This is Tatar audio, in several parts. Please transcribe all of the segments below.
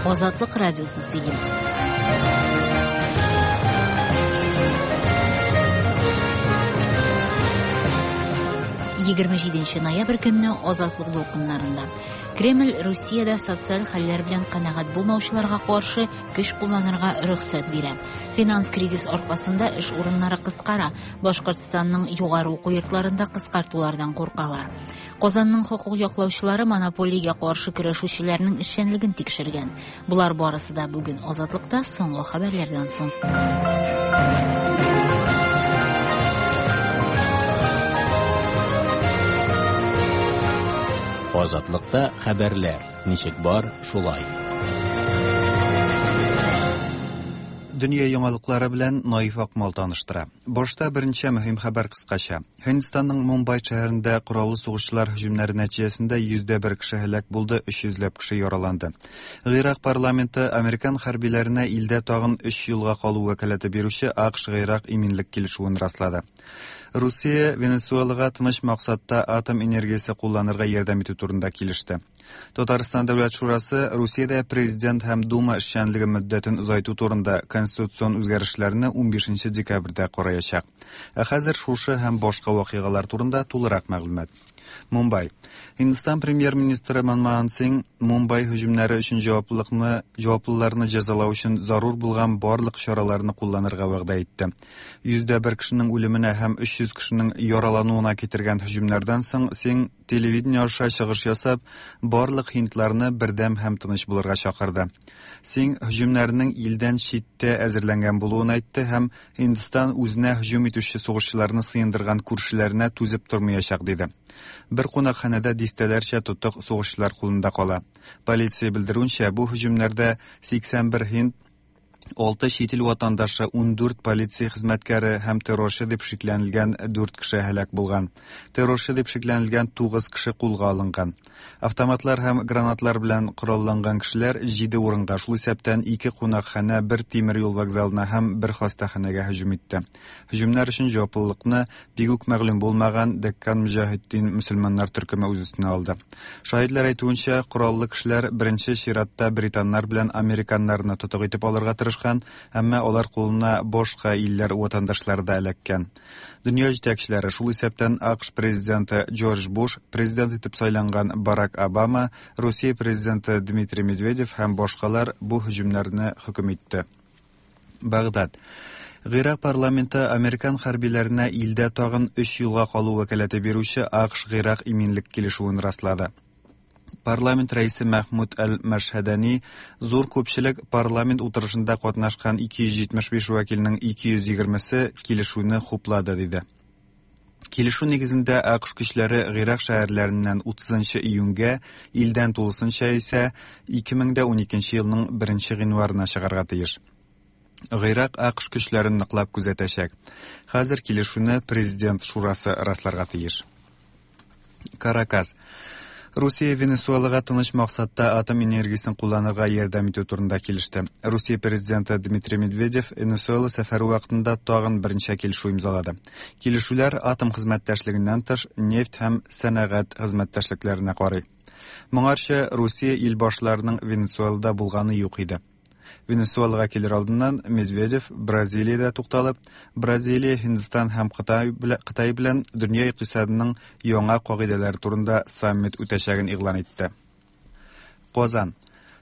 Азатлык радиосы сөйли. 27 ноябрь көнне Азатлык дулкыннарында. Кремль Русиядә социаль хәлләр белән канәгать булмаучыларга каршы көч кулланырга рөхсәт бирә. Финанс кризис аркасында эш урыннары кыскара. Башкортстанның югары уку йортларында кыскартулардан куркалар. Казанның хокук яклаучылары монополиягә каршы көрәшүчеләрнең эшчәнлеген тикшергән. Болар барысы да бүген Азатлыкта соңгы хәбәрләрдән соң. Азатлыкта хәбәрләр ничек бар, шулай. Дөнья яңалыклары белән Наиф Акмал таныштыра. Башта берничә мөһим хәбәр кыскача. Һиндстанның Мумбай шәһәрендә кораллы сугышчылар һөҗүмнәре нәтиҗәсендә 101 кеше һәлак булды, 300 ләп кеше яраланды. Гыйрак парламенты американ хәрбиләренә илдә тагын 3 елга калу вәкаләте бирүче АКШ-Гыйрак иминлек килешүен раслады. Русия Венесуэлага тыныч максатта атом энергиясе кулланырга ярдәм итү турында килеште. Татарстан Дәүләт шурасы Русиядә президент һәм Дума эшчәнлеге мөддәтен озайту турында конституцион үзгәрешләрне 15 декабрьдә караячак. Ә хәзер шушы һәм башка вакыйгалар турында тулырак мәгълүмат. Мумбай. Һиндстан премьер-министры Манмохан Сиң Мумбай һөҗүмнәре өчен җаваплылыкны җаваплыларны җәзалау өчен зарур булган барлык чараларны кулланырга вәгъдә итте. 101 кешенең үлеменә һәм 300 кешенең яралануына китергән һөҗүмнәрдән соң Сиң телевидение аша чыгыш ясап, барлык һиндларны бердәм һәм тыныч булырга чакырды. Сиң һөҗүмнәрнең илдән читтә әзерләнгән булуын әйтте һәм Һиндстан үзенә һөҗүм итүче сугышчыларны сыендырган күршеләренә түзеп тормаячак диде. Бер кунакханәдә дистәләрчә тотык сугышчылар кулында кала. Полиция белдерүенчә, бу һөҗүмнәрдә 81 һинд 6 чит ил ватандашы, 14 полиция хезмәткәре һәм террорчы дип шикләнелгән 4 кеше һәлак булган. Террорчы дип шикләнелгән 9 кеше кулга алынган. Автоматлар һәм гранатлар белән коралланган кешеләр 7 урынга, шул исәптән 2 кунакханә, бер тимер юл вокзалына һәм бер хастаханәгә һөҗүм итте. Һөҗүмнәр өчен җаваплылыкны бик үк мәгълүм булмаган Деккан Мөҗаһиддин мөселманнар төркеме үз өстенә алды. Шаһитләр әйтүенчә, кораллы кешеләр беренче чиратта британнар белән американнарны тотык итеп алырга тырышкан, әмма алар кулына башка илләр ватандашлары да эләккән. Дөнья җитәкчеләре, шул исәптән АКШ президенты Джордж Буш, президент итеп сайланган Барак Обама, Русия президенты Дмитрий Медведев һәм башкалар бу һөҗүмнәрне хөкем итте. Багдад. Гыйрак парламенты американ хәрбиләренә илдә тагын 3 елга калу вәкаләте бирүче АКШ-Гыйрак иминлек килешүен раслады. Парламент рәисе Мәхмүд әл-Мәшһәдәни зур күпчелек парламент утырышында катнашкан 275 вәкилнең 220-се килешүне хуплады, диде. Килешү нигезендә АКШ көчләре Гыйрак шәһәрләреннән 30 июньгә, илдән тулысынча исә 2012 елның 1 гыйнварына чыгарга тиеш. Гыйрак АКШ көчләрен ныклап күзәтәчәк. Хәзер килешүне президент шурасы расларга тиеш. Каракас. Русия Венесуэлага тыныч максатта атом энергиясен кулланырга ярдәм итү турында килеште. Русия президенты Дмитрий Медведев Венесуэла сәфәре вакытында тагын берничә килешү имзалады. Килешүләр атом хезмәттәшлегеннән тыш нефть һәм сәнәгать хезмәттәшлекләренә карый. Моңарчы Русия ил башларының Венесуэлада булганы юк иде. Венесуэлага килер алдыннан Медведев Бразилиядә тукталып, Бразилия, Һиндстан һәм Кытай, Кытай белән дөнья икътисадының яңа кагыйдәләре турында саммит үтәчәген игълан итте. Казан.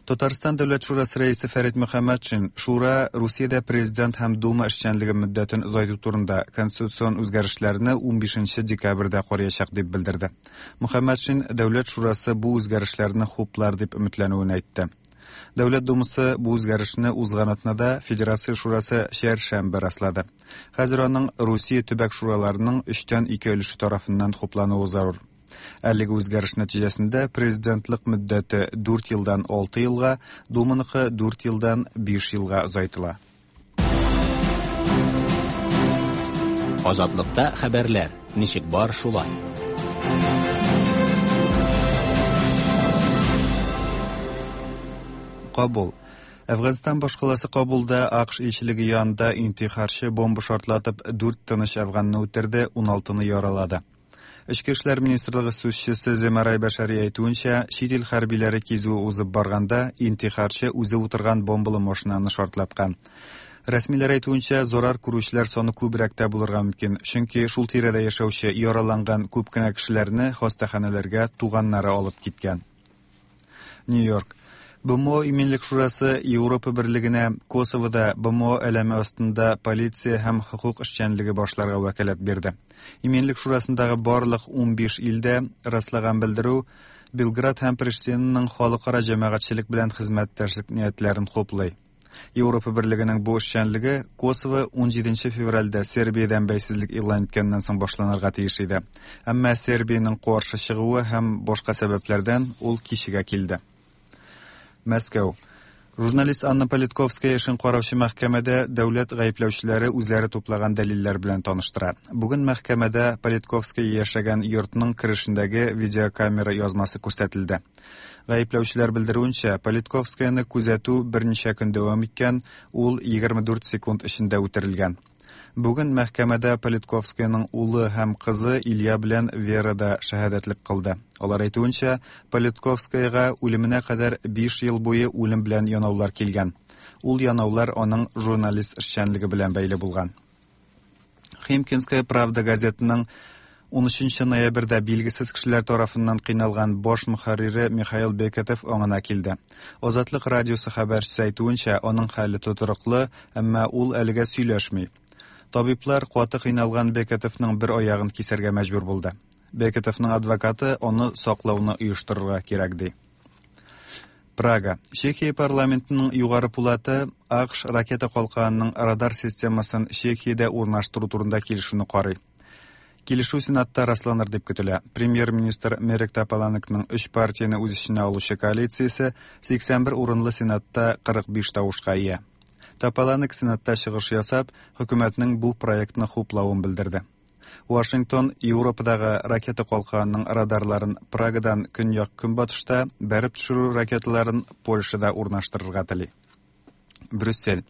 Татарстан Дәүләт шурасы рәисе Фәрит Мөхәммәтшин Шура Русиядә президент һәм Дума эшчәнлеге мөддәтен озайту турында конституцион үзгәрешләрне 15 декабрьдә караячак дип белдерде. Мөхәммәтшин Дәүләт шурасы бу үзгәрешләрне хуплар дип өметләнүен әйтте. Дәүләт Думасы бу үзгәрешне узган атнада Федерация Шурасы чәршәмбе раслады. Хәзер аның Русия төбәк шураларының өчтән ике өлеше тарафыннан хуплануы зарур. Әлеге үзгәреш нәтиҗәсендә президентлык мөддәте 4 елдан 6 елга, Думаныкы 4 елдан 5 елга озайтыла. Азатлыкта хәбәрләр ничек бар шулай. Кабул. Әфганстан башкаласы Кабулда АКШ илчелеге янында интихарчы бомба шартлатып 4 тыныч әфганны үтерде, 16-ны яралады. Эчке эшләр министрлыгы сүзчесе Земарай Бәшәри әйтүенчә, чит ил хәрбиләре кизүе узып барганда, интихарчы үзе утырган бомбалы машинаны шартлаткан. Рәсмиләр әйтүенчә, зарар күрүчеләр саны күбрәк тә булырга мөмкин, чөнки шул тирәдә яшәүче яраланган күп кенә кешеләрне хастаханәләргә туганнары алып киткән. Нью-Йорк. БМО Иминлек шурасы Европа берлегенә Косовода БМО әләме астында полиция һәм хокук эшчәнлеге башларга вәкаләт бирде. Иминлек шурасындагы барлык 15 илдә раслаган белдерү Белград һәм Приштинаның халыкара җәмәгатьчелек белән хезмәттәшлек ниятләрен хуплый. Европа берлегенең бу эшчәнлеге Косово 17 февральдә Сербиядән бәйсезлек игълан иткәннән соң башланырга тиеш иде. Әмма Сербиянең каршы чыгуы һәм башка сәбәпләрдән ул кичегә килде. Мәскәү. Журналист Анна Политковская эшен караучы мәхкәмәдә дәүләт гаепләүчеләре үзләре туплаган дәлилләр белән таныштыра. Бүген мәхкәмәдә Политковская яшәгән йортның керешендәге видеокамера язмасы күрсәтелде. Гаепләүчеләр белдерүенчә, Политковскаяны күзәтү берничә көн дәвам иткән, ул 24 секунд эчендә үтерелгән. Бүген мәхкәмәдә Политковскаяның улы һәм кызы Илья белән Вера да шәһадәтлек кылды. Алар әйтүенчә, Политковскаяга үлеменә кадәр 5 ел буе үлем белән янаулар килгән. Ул янаулар аның журналист эшчәнлеге белән бәйле булган. Химкинская правда газетының 13 ноябрьдә билгесез кешеләр тарафыннан кыйналган баш мөхәррире Михаил Бекетов аңына килде. Азатлык радиосы хәбәрчесе әйтүенчә, аның хәле тотрыклы, әмма ул әлегә сөйләшми. Табиблар каты кыйналган Бекетовның бер аягын кисәргә мәҗбүр булды. Бекетовның адвокаты аны саклауны оештырырга кирәк ди. Прага. Чехия парламентының югары пулаты АКШ ракета калканының радар системасын Чехиядә урнаштыру турында килешүне карый. Килешү Сенатта расланыр дип көтелә. Премьер-министр Мерек Тополанекның өч партияне үз эченә алучы коалициясе 81 урынлы Сенатта 45 тавышка ия. Тополанек Сенатта чыгыш ясап, хөкүмәтнең бу проектны хуплавын белдерде. Вашингтон Европадагы ракета калканының радарларын Прагадан көньяк-көнбатышта бәреп төшерү ракеталарын Польшада урнаштырырга тели. Брюссель.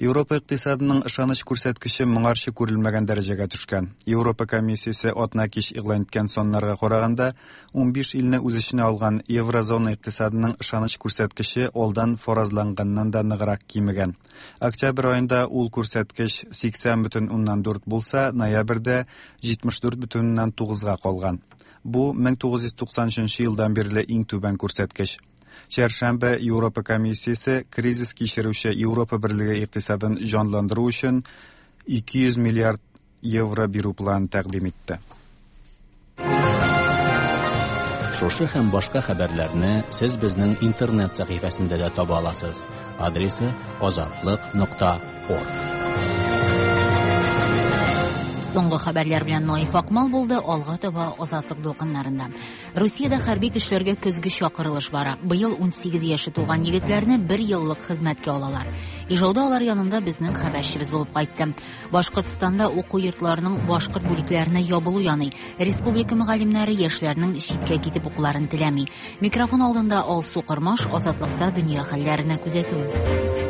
Европа икътисадының ышаныч күрсәткече моңарчы күрелмәгән дәрәҗәгә төшкән. Европа комиссиясе атна кич игълан иткән саннарга караганда, 15 илне үз эченә алган еврозона икътисадының ышаныч күрсәткече алдан фаразланганнан да ныграк кимегән. Октябрь аенда ул күрсәткеч 80,4 булса, ноябрьдә 74,9-га калган. Бу 1993 елдан бирле иң түбән күрсәткеч. Чәршәмбе Европа комиссиясе кризис кичерүче Европа берлеге икътисадын җанландыру өчен 200 миллиард евро бирү планын тәкъдим итте. Шушы һәм башка хәбәрләрне сез безнең интернет сәхифәсендә дә таба аласыз. Адресы azatliq.org. Соңгы хәбәрләр белән Наиф Акмал булды, алга таба Азатлык дулкыннарында. Русиядә хәрби көчләргә көзге чакырылыш бара. Быел 18 яше тулган егетләрне бер еллык хезмәткә алалар. Ижауда алар янында безнең хәбәрчебез булып кайтты. Башкортстанда уку йортларының башкорт бүлекләренә ябылу яный. Республика мөгаллимнәре яшьләрнең читкә китеп укуларын теләми. Микрофон алдында Алсу Кырмаш, Азатлыкта дөнья хәлләренә күзәтү.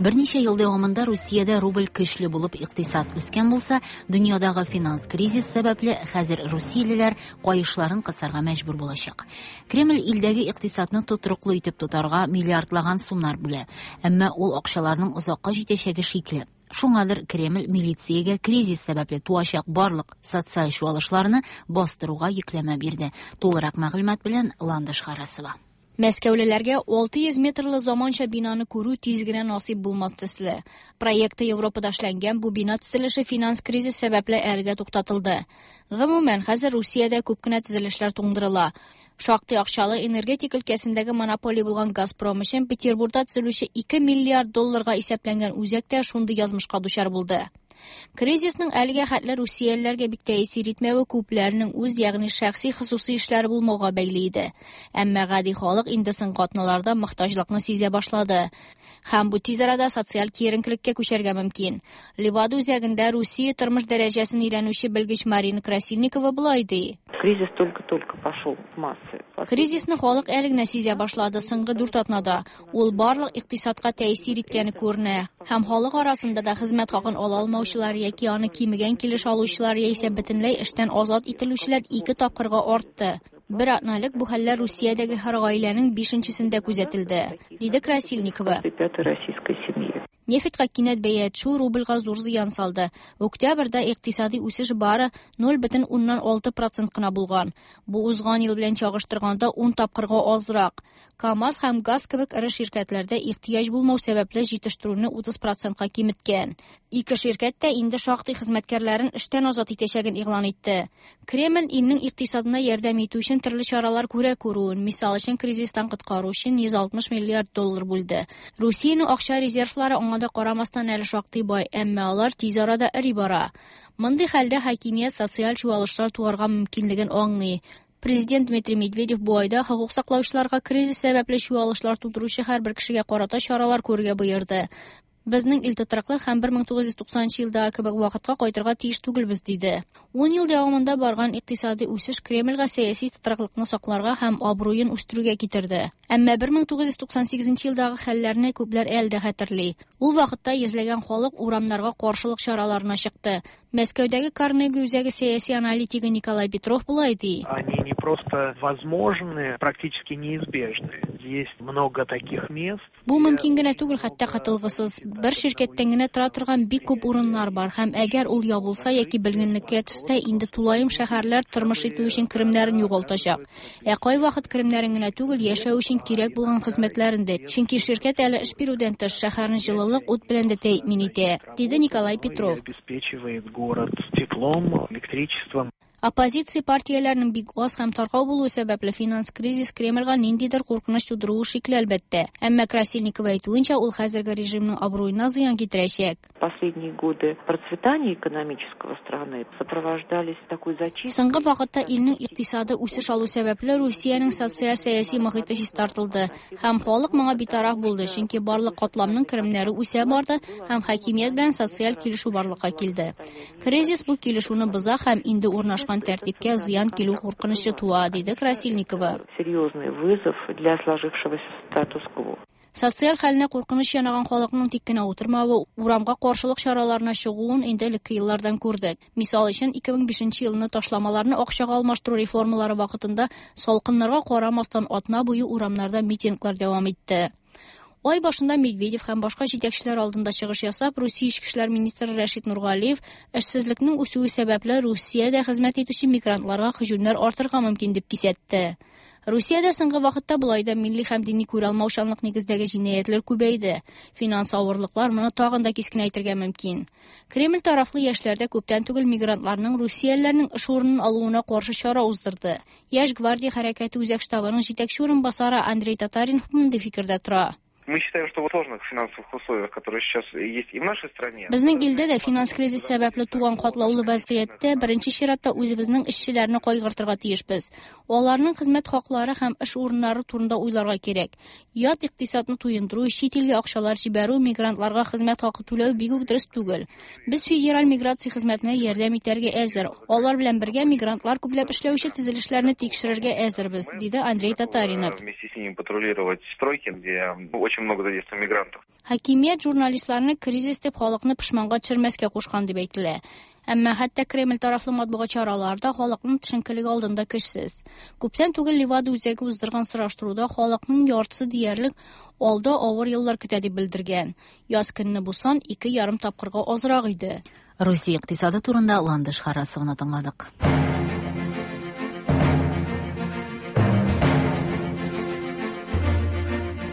Берничә ел дәвамында Русиядә рубль көчле булып икътисад үскән булса, дөньядагы финанс кризис сәбәпле хәзер русиялеләр каешларын кысарга мәҗбүр булачак. Кремль илдәге икътисадны тотрыклы итеп тотарга миллиардлаган сумнар бүлә. Әмма ул акчаларның озакка җитәчәге шикле. Шуңадыр Кремль милициягә кризис сәбәпле туачак барлык социаль чуалышларны бастыруга йөкләмә бирде. Тулырак мәгълүмат белән Ландыш Харасова. Мәскәүлеләргә 600 метрлы заманча бинаны күрү тиз генә насыйп булмас төсле. Проекты Европада эшләнгән бу бина төзелеше финанс кризис сәбәпле әлегә туктатылды. Гомумән, хәзер Русиядә күп кенә төзелешләр туңдырыла. Шактый акчалы энергетик өлкәсендәге монополия булган Газпром өчен Петербургда төзелүче 2 миллиард долларга исәпләнгән үзәк тә шундый язмышка дучар булды. Кризисның әлегә хәтле русиялеләргә бик тәэсир итмәве күпләрнең үз, ягъни шәхси хосусый эшләре булмауга бәйле иде. Әмма гади халык инде соңгы атналарда мохтаҗлыкны сизә башлады. Һәм бу тиз арада социаль киеренкелеккә күчәргә мөмкин. Левада үзәгендә Русия тормыш дәрәҗәсен өйрәнүче белгеч Марина Красильникова болай ди. Кризис только-только пошел в массы. Кризисны халык әле генә сизә башлады соңгы 4 атнада. Ул барлык икътисадка тәэсир иткәне күренә. Һәм халык арасында да хезмәт хакын ала алмаучылар яки аны кимегән килеш алучылар яисә бөтенләй эштән азат ителүчеләр 2 тапкырга артты. Бер атна элек бу хәлләр Русиядәге һәр гаиләнең 5-нчесендә күзәтелде, диде Красильникова. Нефтька кинәт бәя төшү рубльгә зур зыян салды. Октябрьдә икътисади үсеш бары 0,6% кына булган. Бу узган ел белән чагыштырганда 10 тапкырга азрак. КАМАЗ һәм ГАЗ кебек эре ширкәтләрдә ихтыяҗ булмау сәбәпле җитештерүне 30%-ка киметкән. Ике ширкәт тә инде шактый хезмәткәрләрен эштән азат итәчәген игълан итте. Кремль илнең икътисадына ярдәм итү өчен төрле чаралар күрә күрүен, мисал өчен кризистан коткару өчен 160 миллиард доллар бүлде. Русиянең акча резервлары аңа да карамастан әле шактый бай, әмма алар тиз арада эри бара. Мондый хәлдә хакимият социаль чуалышлар туарга мөмкинлеген аңлый. Президент Дмитрий Медведев бу айда хокук саклаучыларга кризис сәбәпле чуалышлар тудыручы һәрбер кешегә карата чаралар күрергә боерды. Безнең ил тотрыклы һәм 1990 елдагы кебек вакытка кайтырга тиеш түгелбез, диде. 10 ел дәвамында барган икътисади үсеш Кремльгә сәяси тотрыклыкны сакларга һәм абруен үстерүгә китерде. Әмма 1998 елдагы хәлләрне күпләр әле дә хәтерли. Ул вакытта йөзләгән халык урамнарга каршылык чараларына чыкты. Мәскәүдәге Карнеги үзәге сәяси аналитигы Николай Петров болай ди. Они не просто возможны, практически неизбежны. Есть много таких мест. Бу мөмкин генә түгел, хәтта котылгысыз. Бер ширкәттән генә тора торган бик күп урыннар бар һәм әгәр ул ябылса яки бөлгенлеккә төшсә, инде тулаем шәһәрләр тормыш итү өчен керемнәрен югалтачак. Ә кайвакыт керемнәрен генә түгел, яшәү өчен кирәк булган хезмәтләрен дә. Чөнки ширкәт әле эш бирүдән тыш шәһәрне җылылык, ут белән дә тәэмин итә, диде Николай Петров. Обеспечивает город теплом, электричеством. Оппозиция партияләренең бик аз һәм таркау булуы сәбәпле финанс кризис Кремльгә ниндидер куркыныч тудыруы шикле, әлбәттә. Әмма Красильникова әйтүенчә, ул хәзерге режимның абруена зыян китерәчәк. Последние годы процветания экономического страны сопровождались такой зачисткой. Соңгы вакытта илнең икътисады үсеш алу сәбәпле Русиянең социаль-сәяси мохите чистартылды һәм халык моңа битараф булды, чөнки барлык катламның керемнәре үсә барды һәм хакимият белән социаль килешү барлыкка килде. Кризис бу килешүне боза һәм инде урнашкан тәртипкә зыян килү куркынычы туа, диде Красильникова. Серьезный вызов для сложившегося статус-кво. Социаль хәленә куркыныч янаган халыкның тик кенә утырмавы, урамга каршылык чараларына чыгуын инде элекке еллардан күрдек. Мисал өчен, 2005 елны ташламаларны акчага алмаштыру реформалары вакытында салкыннарга карамастан атна буе урамнарда митинглар дәвам итте. Ай башында Медведев һәм башка җитәкчеләр алдында чыгыш ясап, Русия эчке эшләр министры Рәшит Нургалиев эшсезлекнең үсүе сәбәпле Русиядә хезмәт итүче мигрантларга һөҗүмнәр артырга мөмкин дип кисәтте. Русиядә соңгы вакытта болай да милли һәм дини күралмаучанлык нигездәге җинаятьләр күбәйде. Финанс авырлыклар моны тагын да кискенәйтергә мөмкин. Кремль тарафлы яшьләр дә күптән түгел мигрантларның русиялеләрнең эш урынын алуына каршы чара уздырды. Яшь гвардия хәрәкәте үзәк штабының җитәкче урынбасары Андрей Татаринов мондый фикердә тора. Мы считаем, что в сложных финансовых условиях, которые сейчас есть и в нашей стране... Безнең илдә дә финанс кризис сәбәпле туган катлаулы вазгыятьтә беренче чиратта үзебезнең эшчеләрне кайгыртырга тиешбез. Аларның хезмәт хаклары һәм эш урыннары турында уйларга кирәк. Ят икътисадны туендыру, чит илгә акчалар җибәрү, мигрантларга хезмәт хакы түләү бик үк дөрес түгел. Без федераль миграция хезмәтенә ярдәм итәргә әзер. Алар белән бергә мигрантлар күпләп эшләүче төзелешләрне тикшерергә әзербез, диде Андрей Татаринов. Вместе с ними патрулировать стройки, где очень много задействовано мигрантов. Хакимият журналистларны кризис дип халыкны пошманга төшермәскә кушкан дип әйтелә. Әмма хәтта Кремль тарафлы матбугат чаралары да халыкның төшенкелеге алдында көчсез. Күптән түгел Левада үзәге уздырган сораштыруда халыкның яртысы диярлек алда авыр еллар көтә дип белдергән. Яз көнне бу сан 2,5 тапкырга азрак иде. Русия икътисады турында Ландыш Харасованы тыңладык.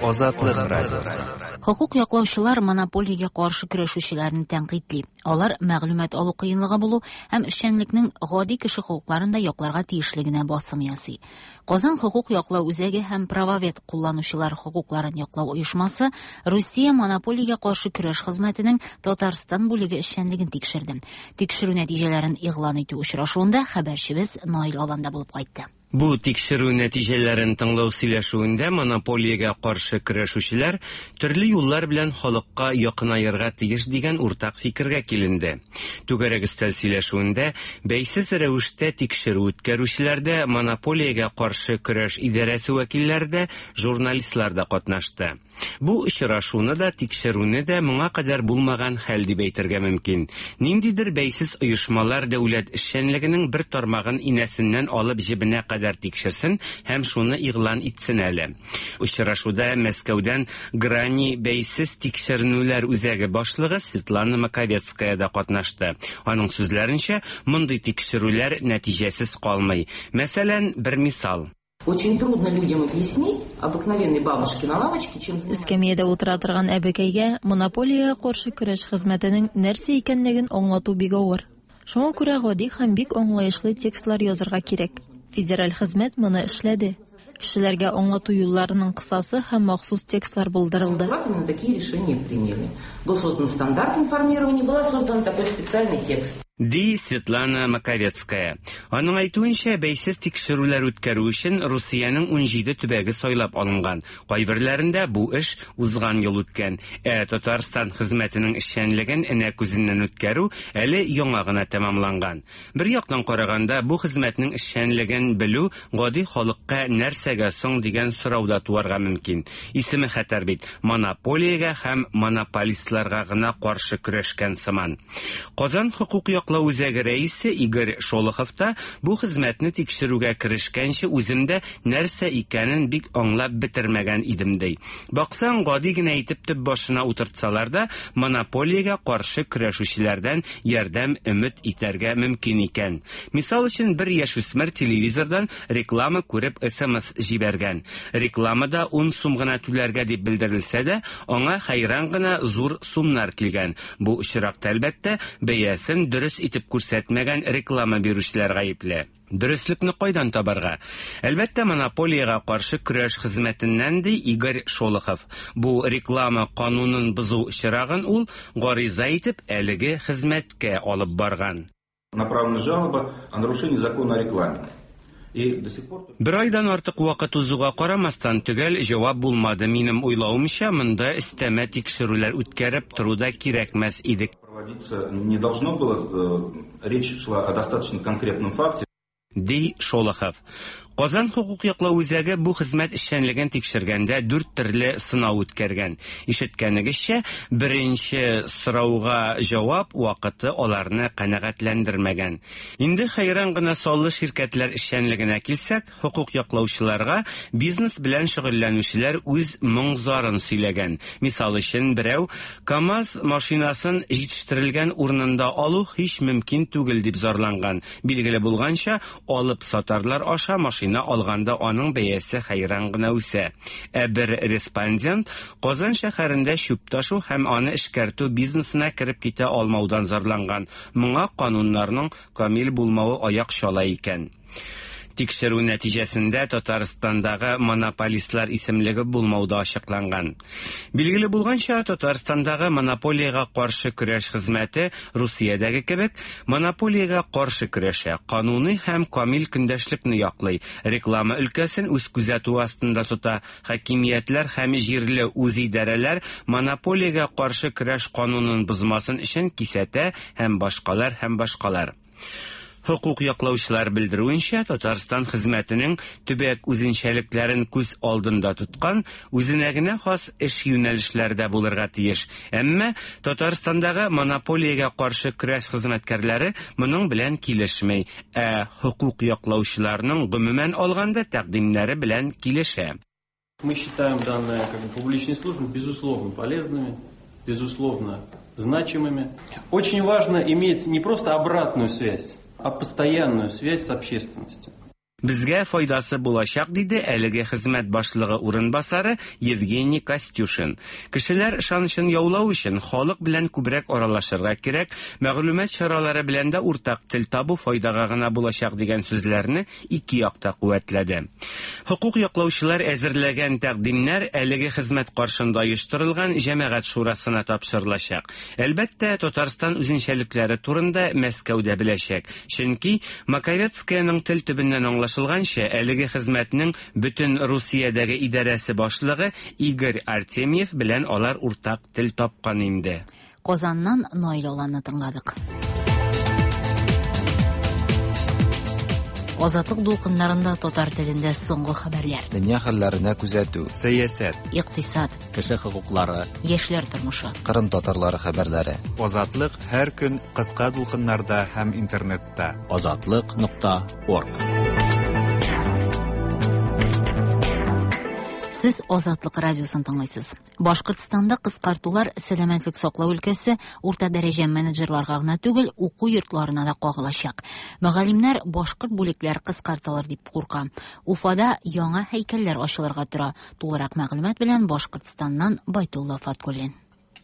Азатлык радиосы. Хокук яклаучылар монополиягә каршы көрәшүчеләрне тәнкыйтьли. Алар мәгълүмат алу кыенлыгы булу һәм эшчәнлекнең гади кеше хокукларын да якларга тиешлегенә басым ясый. Казан хокук яклау үзәге һәм Правовед кулланучылар хокукларын яклау оешмасы Русия монополиягә каршы көрәш хезмәтенең Татарстан бүлеге эшчәнлеген тикшерде. Тикшерү нәтиҗәләрен игълан итү очрашуында хәбәрчебез Наил Аланда булып кайтты. Бу тикшерү нәтиҗәләрен тыңлау сөйләшүендә монополиягә каршы көрәшүчеләр төрле юллар белән халыкка якынаерга тиеш дигән уртак фикергә киленде. Түгәрәк өстәл сөйләшүендә бәйсез рәвештә тикшерү үткәрүчеләр дә, монополиягә каршы көрәш идарәсе вәкилләре дә, журналистлар да катнашты. Бу очрашуны да, тикшерүне дә моңа кадәр булмаган хәл дип әйтергә мөмкин. Ниндидер бәйсез оешмалар дәүләт эшчәнлегенең бер тармагын инәсеннән алып җебенә кадәр тикшерсен һәм шуны игълан итсен әле. Очрашуда Мәскәүдән Грани бәйсез тикшеренүләр үзәге башлыгы Светлана Маковецкая да катнашты. Аның сүзләренчә, мондый тикшерүләр нәтиҗәсез калмый. Мәсәлән, бер мисал. Очень трудно людям объяснить, обыкновенной бабушке на лавочке, чем занимается. Эскәмиядә утыра торган әбекәйгә монополиягә каршы көрәш хезмәтенең нәрсә икәнлеген аңлату бик авыр. Шуңа күрә гади һәм бик аңлаешлы текстлар язырга кирәк. Федераль хезмәт моны эшләде. Кешеләргә аңлату юлларының кысасы һәм махсус текстлар булдырылды. Именно такие решения приняли. Был создан стандарт информирования, была создан такой специальный текст. Ди Светлана Маковецкая. Аның әйтүенчә, бәйсез тикшерүләр үткәрү өчен Русиянең 17 төбәге сайлап алынган. Кайберләрендә бу эш узган ел үткән. Ә Татарстан хезмәтенең эшчәнлеген энә күзеннән үткәрү әле яңа гына тәмамланган. Бер яктан караганда, бу хезмәтнең эшчәнлеген белү гади халыкка нәрсәгә соң дигән сорау да туарга мөмкин. Исеме хәтәр бит, монополиягә һәм монополистларга гына каршы көрәшкән сыман. Казан хокук яклау үзәге рәисе Игорь Шолохов та бу хезмәтне тикшерүгә керешкәнче үзем дә нәрсә икәнен бик аңлап бетермәгән идем ди. Баксаң, гади генә итеп төп башына утыртсалар да, монополиягә каршы көрәшүчеләрдән ярдәм өмет итәргә мөмкин икән. Мисал өчен, бер яшүсмер телевизордан реклама күреп смс җибәргән. Рекламада 10 сум гына түләргә дип белдерелсә дә, аңа хәйран гына зур сумнар килгән. Бу очракта, әлбәттә, бәясен дөрес итеп күрсәтмәгән реклама бирүчеләр гаепле. Дөреслекне кайдан табарга? Әлбәттә, монополиягә каршы көрәш хезмәтеннән, ди Игорь Шолохов. Бу реклама канунын бозу очрагын ул гариза итеп әлеге хезмәткә алып барган. Направлена жалоба о нарушении закона о рекламе. И до сих пор... Бер айдан артык вакыт узуга карамастан, төгәл җавап булмады. Минем уйлавымча, монда өстәмә тикшерүләр үткәреп тору да кирәкмәс иде. Проводиться не должно было. Речь шла о достаточно конкретном факте. Ди Шолохов. Казан хокук яклау үзәге бу хезмәт эшчәнлеген тикшергәндә дүрт төрле сынау үткәргән. Ишеткәнегезчә, беренче сорауга җавап вакыты аларны канәгатьләндермәгән. Инде хәйран гына саллы ширкәтләр эшчәнлегенә килсәк, хокук яклаучыларга бизнес белән шөгыльләнүчеләр үз моң-зарын сөйләгән. Мисал өчен, берәү КАМАЗ машинасын җитештерелгән урынында алу һич мөмкин түгел дип зарланган. Билгеле булганча, алып сатарлар аша машина алганда аның бәясе хәйран гына үсә. Ә бер респондент Казан шәһәрендә чүп ташу һәм аны эшкәртү бизнесына кереп китә алмаудан зарланган. Моңа кануннарның камил булмавы аяк чала икән. Тикшерү нәтиҗәсендә Татарстандагы монополистлар исемлеге булмау да ачыкланган. Билгеле булганча, Татарстандагы монополиягә каршы көрәш хезмәте Русиядәге кебек монополиягә каршы көрәшә, кануни һәм камил көндәшлекне яклый, реклама өлкәсен үз күзәтүе астында тота, хакимиятләр һәм җирле үзидарәләр монополиягә каршы көрәш канунын бозмасын өчен кисәтә һәм башкалар һәм башкалар. Хокук яклаучылар белдерүенчә, Татарстан хезмәтенең төбәк үзенчәлекләрен күз алдында тоткан үзенә генә хас эш юнәлешләре дә булырга тиеш. Әмма Татарстандагы монополиягә каршы көрәш хезмәткәрләре моның белән килешми, ә хокук яклаучыларның гомумән алганда тәкъдимнәре белән килешә. Мы считаем данные как бы публичные службы безусловно полезными, безусловно значимыми. Очень важно иметь не просто обратную связь, а постоянную связь с общественностью. Безгә файдасы булачак, диде әлеге хезмәт башлыгы урынбасары Евгений Костюшин. Кешеләр ышанычын яулау өчен халык белән күбрәк аралашырга кирәк, мәгълүмат чаралары белән дә уртак тел табу файдага гына булачак дигән сүзләрне ике як та куәтләде. Хокук яклаучылар әзерләгән тәкъдимнәр әлеге хезмәт каршында оештырылган җәмәгать шурасына тапшырылачак. Әлбәттә, Татарстан үзенчәлекләре турында Мәскәү дә беләчәк. Чөнки Маковецкаяның тел төбеннән аңлашып Аңлашылганча, әлеге хезмәтнең бөтен Русиядәге идарәсе башлыгы Игорь Артемьев белән алар уртак тел тапкан инде. Казаннан Наил Аланны тыңладык. Азатлык дулкыннарында татар телендә соңгы хәбәрләр. Дөнья хәлләренә күзәтү. Сәясәт. Икътисад. Кеше хокуклары. Яшьләр тормышы. Кырым татарлары хәбәрләре. Азатлык һәр көн кыска дулкыннарда һәм интернетта. Азатлык.орг. Сез Азатлык радиосын тыңлыйсыз. Башкортстанда кыскартулар сәламәтлек саклау өлкәсе урта дәрәҗә менеджерларга гына түгел, уку йортларына да кагылачак. Мөгаллимнәр башкорт бүлекләр кыскартылыр дип курка. Уфада яңа һәйкәлләр ачылырга тора. Тулырак мәгълүмат белән Башкортстаннан Байтулла Фаткуллин.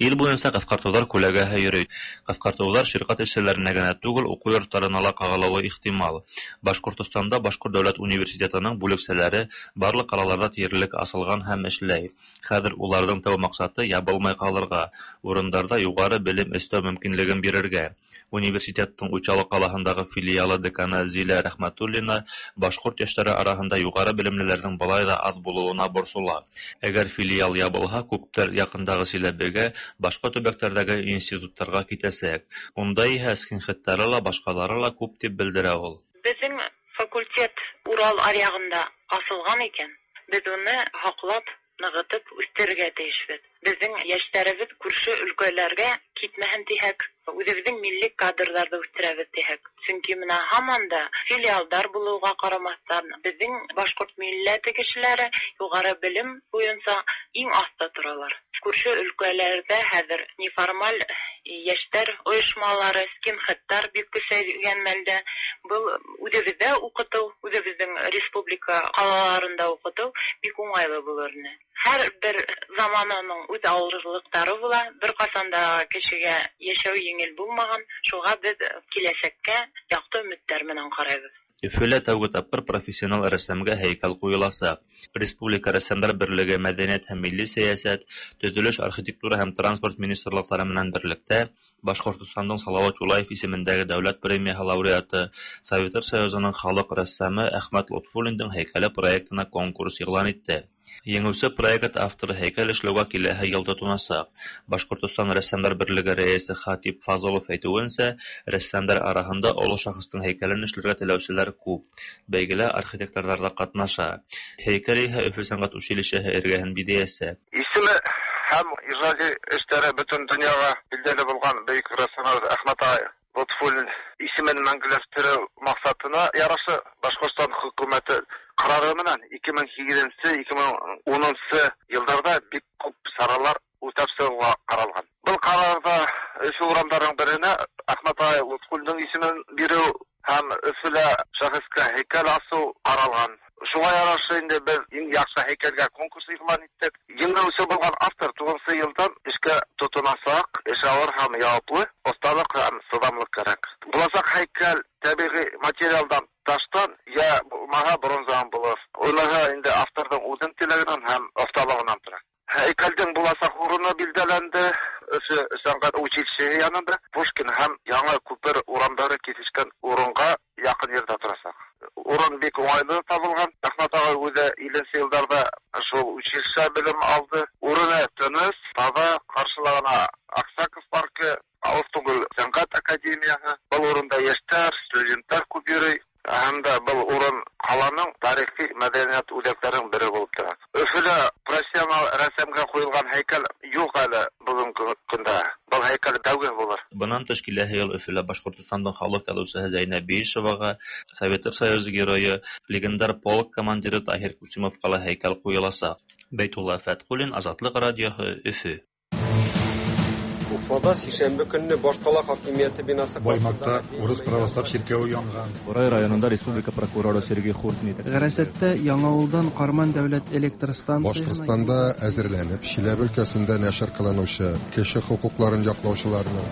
Ил буенча кыскартулар күләгәһе йөри. Кыскартулар ширкәт эшчеләренә генә түгел, уку йортларына ла кагылуы ихтимал. Башкортстанда Башкорт дәүләт университетының бүлекчәләре барлык калаларда диярлек асылган һәм эшләй. Хәзер уларның тәү максаты ябылмай калырга, урындарда югары белем эстәү мөмкинлеген бирергә. Университеттың Учалы калаһындагы филиалы деканы Зилә Рәхмәтуллина башкорт яшьләре араһында югары белемлеләрнең болай да аз булуына борсыла. Әгәр филиал ябылһа, күптәр якындагы Силәбегә, башка төбәкләрдәге институтларга китәсәк. Унда иһә скинхедтары ла, башкалары ла күп дип белдерә ул. Безнең факультет Урал аръягында асылган икән, без уны һаклап, ныгытып үстерергә тиешбез. Безнең яшьләребез күрше өлкәләргә китмәһен тиһәк, үзебезнең милли кадрларны үстерәбез тиһәк. Чөнки менә һаман да филиалдар булуга карамастан, безнең башкорт милләте кешеләре югары белем буенча иң аста торалар. Күрше өлкәләрдә хәзер неформаль яшьләр оешмалары, скинхедтар бик көчәйгән мәлдә. Был үзебездә укыту, үзебезнең республика калаларында укыту бик уңайлы булыр ине. Һәр бер замананың үз авырлыклары була. Бер касан да кешегә яшәү җиңел булмаган. Шуңа без киләчәккә якты өметләр менән карайбыз. Өфөлә тәүге тапкыр профессионал рәссамга һәйкәл куеласак. Республика рәссамнар берлеге мәдәният һәм милли сәясәт, төзелеш, архитектура һәм транспорт министрлыклары менән берлектә Башкортстанның Салават Юлаев исемендәге дәүләт премияһы лауреаты, Советлар Союзының халык рәссамы Әхмәт Лотфуллинның һәйкәле проектына конкурс игълан итте. Еңүсе проект авторы һәйкәл эшләүгә киләһе ел тотынасак. Башкортстан рәссамнар берлеге рәисе Хатип Фазылов әйтүенчә, рәссамнар арасында олы шәхеснең һәйкәлен эшләргә теләүчеләр күп. Бәйгелә архитекторлар да катнаша. Һәйкәл иһә Өфө сәнгать училищеһы эргәһен бизәячәк. Исеме һәм ижади эшләре бөтен дөньяга билгеле булган бөек рәссам Әхмәт агай Лотфуллин исемен мәңгеләштерү максатына ярашы Башкортстан хөкүмәте карары менән 2008-2010 елларда бик күп чаралар үтәп чыгуга каралган. Был карарда Өфө урамдарының беренә Әхмәт агай Лотфуллинның исемен бирү һәм Өфөлә шәхескә һәйкәл асыу каралган. Шуңа ярашы инде без иң яхшы һәйкәлгә конкурс игълан иттек. Еңүче булган автор 9 елдан эшкә тотынасак, эш авыр һәм яваплы, осталык һәм сыдамлык кирәк. Булачак һәйкәл табигый материалдан таштан я булмаһа бронзадан булыр. Уныһы инде авторҙың үҙен теләгенән һәм оҫталығынан тора. Һәйкәлдең буласаҡ урыны билдәләнде. Өфө сәнғәт училищеһы янында Пушкин һәм Яңа күпер урамдары кисешкән урынға яҡын ерҙә торасаҡ. Урын бик уңайлы табылған. Әхмәт ағай үҙе 50 йылдарҙа шул училище белем алды. Урыны тыныс, таҙа, ҡаршылағына Аксаков паркы, алыҫ түгел сәнғәт академияһы. Был урында йәштәр, студенттар күп йөрөй. Һәм дә был урын ҡаланың тарихи мәҙәниәт үҙәктәренең бере булып тора. Өфөлә профессионал рәссамға ҡуйылған һәйкәл юҡ әле бөгөнгө көндә. Был һәйкәл тәүге булыр. Бынан тыш киләһе йыл Өфөлә Башҡортостандың халыҡ яҙыусыһы Зәйнәб Биишеваға, Советлар Союзы геройы, легендар полк командиры Таһир Кусимовҡа ла һәйкәл ҡуйыласаҡ. Бәйтулла Фәтҡуллин, Азатлыҡ радиоһы, Өфө. Уфада сишәмбе көнне башкала хакимияте бинасы Баймакта урыс православ чиркәве янган. Бурай районында республика прокуроры Сергей Хуртин Гарасәттә Яңавылдан Карман дәүләт электр станциясенә Башкортстанда әзерләнеп, Чиләбе өлкәсендә нәшер кылынучы кеше хокукларын яклаучыларның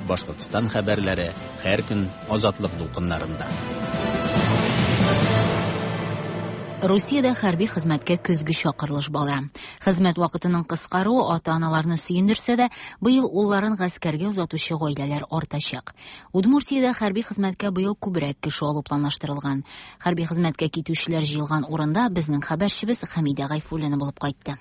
Башкортстан хәбәрләре һәр көн Азатлык дулкыннарында. Русиядә хәрби хезмәткә көзге чакырылыш бара. Хезмәт вакытының кыскаруы ата-аналарны сөендерсә дә, быел улларын гаскәргә озатучы гаиләләр артачак. Удмуртиядә хәрби хезмәткә быел күбрәк кеше алу планлаштырылган. Хәрби хезмәткә китүчеләр җыелган урында безнең хәбәрчебез Хәмидә Гайфуллина булып кайтты.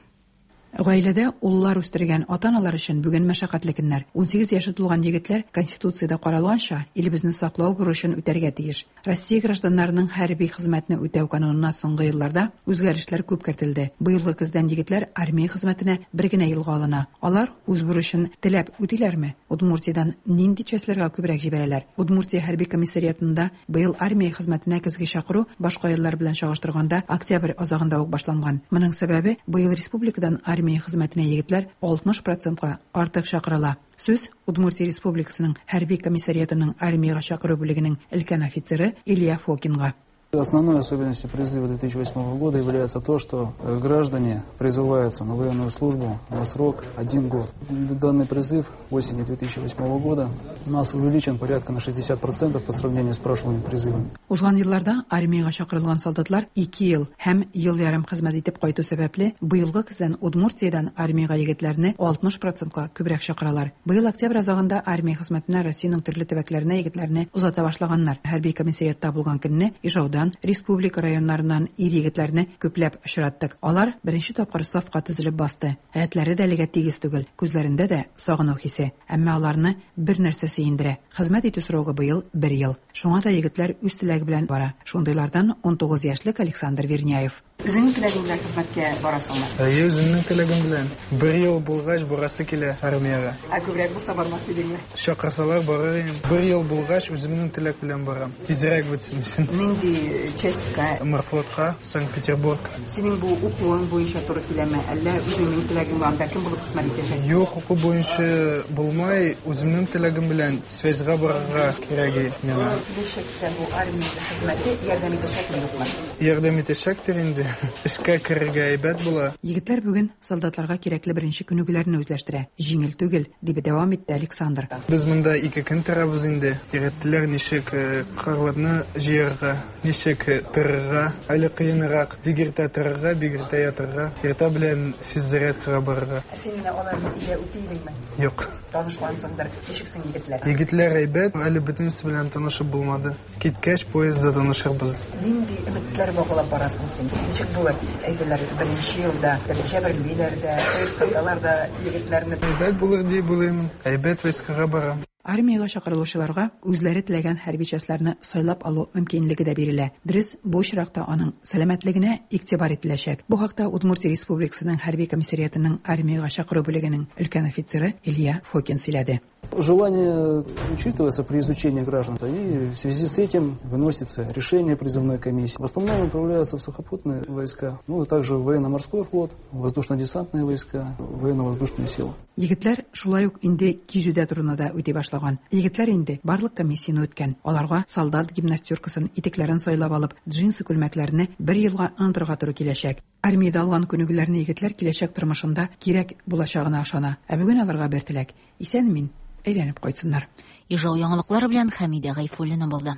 Гаиләдә уллар үстергән ата-аналар өчен бүген мәшәкатьле көннәр. 18 яше тулган егетләр, Конституциядә каралганча, илебезне саклау бурычын үтәргә тиеш. Россия гражданнарының хәрби хезмәтне үтәү канунына соңгы елларда үзгәрешләр күп кертелде. Быелгы көздән егетләр армия хезмәтенә бер генә елга алына. Алар үз бурычын теләп үтиләрме? Удмуртиядән нинди частьләргә күбрәк җибәрәләр? Удмуртия хәрби комиссариатында Быел армия хезмәтенә көзге чакыру башка еллар белән чагыштырганда октябрь азагында ук башланган. Моның сәбәбе, быел республикадан армия хезмәтенә егетләр 60 процентка артык чакырыла. Сүз Удмуртия Республикасының хәрби комиссариатының армиягә чакыру бүлегенең өлкән офицеры Илья Фокинга. Основной особенностью призыва 2008 года является то, что граждане призываются на военную службу на срок один год. Данный призыв осенью 2008 года у нас увеличен порядка на 60% по сравнению с прошлыми призывами. Узган елларда армиягә чакырылган солдатлар ике ел һәм ел ярым хезмәт итеп кайту сәбәпле, быелгы көздән Удмуртиядән армиягә егетләрне 60 процентка күбрәк чакыралар. Быел октябрь азагында армия хезмәтенә Россиянең төрле төбәкләренә егетләрне озата башлаганнар. Хәрби комиссариатта булган көнне Ижаудан, республика районнарыннан ир-егетләрне күпләп очраттык. Алар беренче тапкыр сафка тезелеп басты. Рәтләре дә әлегә тигез түгел, күзләрендә дә сагыну хисе. Әмма аларны бер нәрсә сөендерә, хезмәт итү срогы быел бер ел. Шуңа да егетләр үз теләге белән бара. Шундыйлардан 19 яшьлек Александр Верняев. Үзеңнең теләгең белән хезмәткә барасыңмы? Әйе, үземнең теләгем белән. Бер ел булгач, барасы килә армиягә. Ә күбрәк булса бармас идеңме? Чакырсалар, барыр идем. Бер ел булгач, үземнең теләк белән барам. Тизрәк бетсен өчен. Нинди частька? Морфлотка, Санкт-Петербург. Синең бу укуың буенча туры киләме, әллә үзеңнең теләгеңме, анда кем булып хезмәт итәчәксең? Юк, уку буенча булмай, үземнең теләгем белән связьга барырга кирәк миңа. Киләчәктә бу армия хезмәте ярдәм итәчәкме, юкмы? Ярдәм итәчәктер инде. Эшкә керергә әйбәт була. Егетләр бүген солдатларга кирәкле беренче күнегүләрне үзләштерә. Җиңел түгел, дип дәвам итте Александр. Без монда ике көн торабыз инде. Өйрәттеләр ничек карларны җыярга, ничек торырга. Әле кыенрак, бик иртә торырга, бик иртә ятырга, иртә белән физзарядкага барырга. Ә син менә аларны өйдә үти идеңме? Юк. Танышкансыңдыр. Ничек соң егетләр? Егетләр әйбәт, әле бөтенесе белән танышып булмады. Киткәч, поездда танышырбыз. Нинди өметләр баглап барасың син? Ничек булыр? Әйтәләр, беренче елда җәберлиләр дә, кыерсыталар да егетләрне. Әйбәт булыр дип уйлыйм. Әйбәт войскага барам. Армиягә чакырылучыларга үзләре теләгән хәрби частьләрне сайлап алу мөмкинлеге дә бирелә. Дөрес, бу очракта аның сәламәтлегенә игътибар ителәчәк. Бу хакта Удмуртия Республикасының хәрби комиссариатының армиягә чакыру бүлегенең өлкән офицеры Илья Фокин сөйләде. Желание учитывается при изучении граждан, и в связи с этим выносится решение призывной комиссии. В основном отправляются в сухопутные войска, ну и также в военно-морской флот, воздушно-десантные войска, военно-воздушные силы. Егетләр шулай ук инде кизүдә торуны да үти башлаган. Егетләр инде барлык комиссияне үткән. Аларга солдат гимнастеркасын, итекләрен сайлап алып, джинсы күлмәкләрне бер елга онытырга туры киләчәк. Армиядә алган күнегүләрне егетләр киләчәк тормышында кирәк булачагына ышана. Ә бүген аларга бер теләк, исән-имин әйләнеп кайтсыннар. Ижау яңалыклары белән Хәмидә Гайфуллина булды.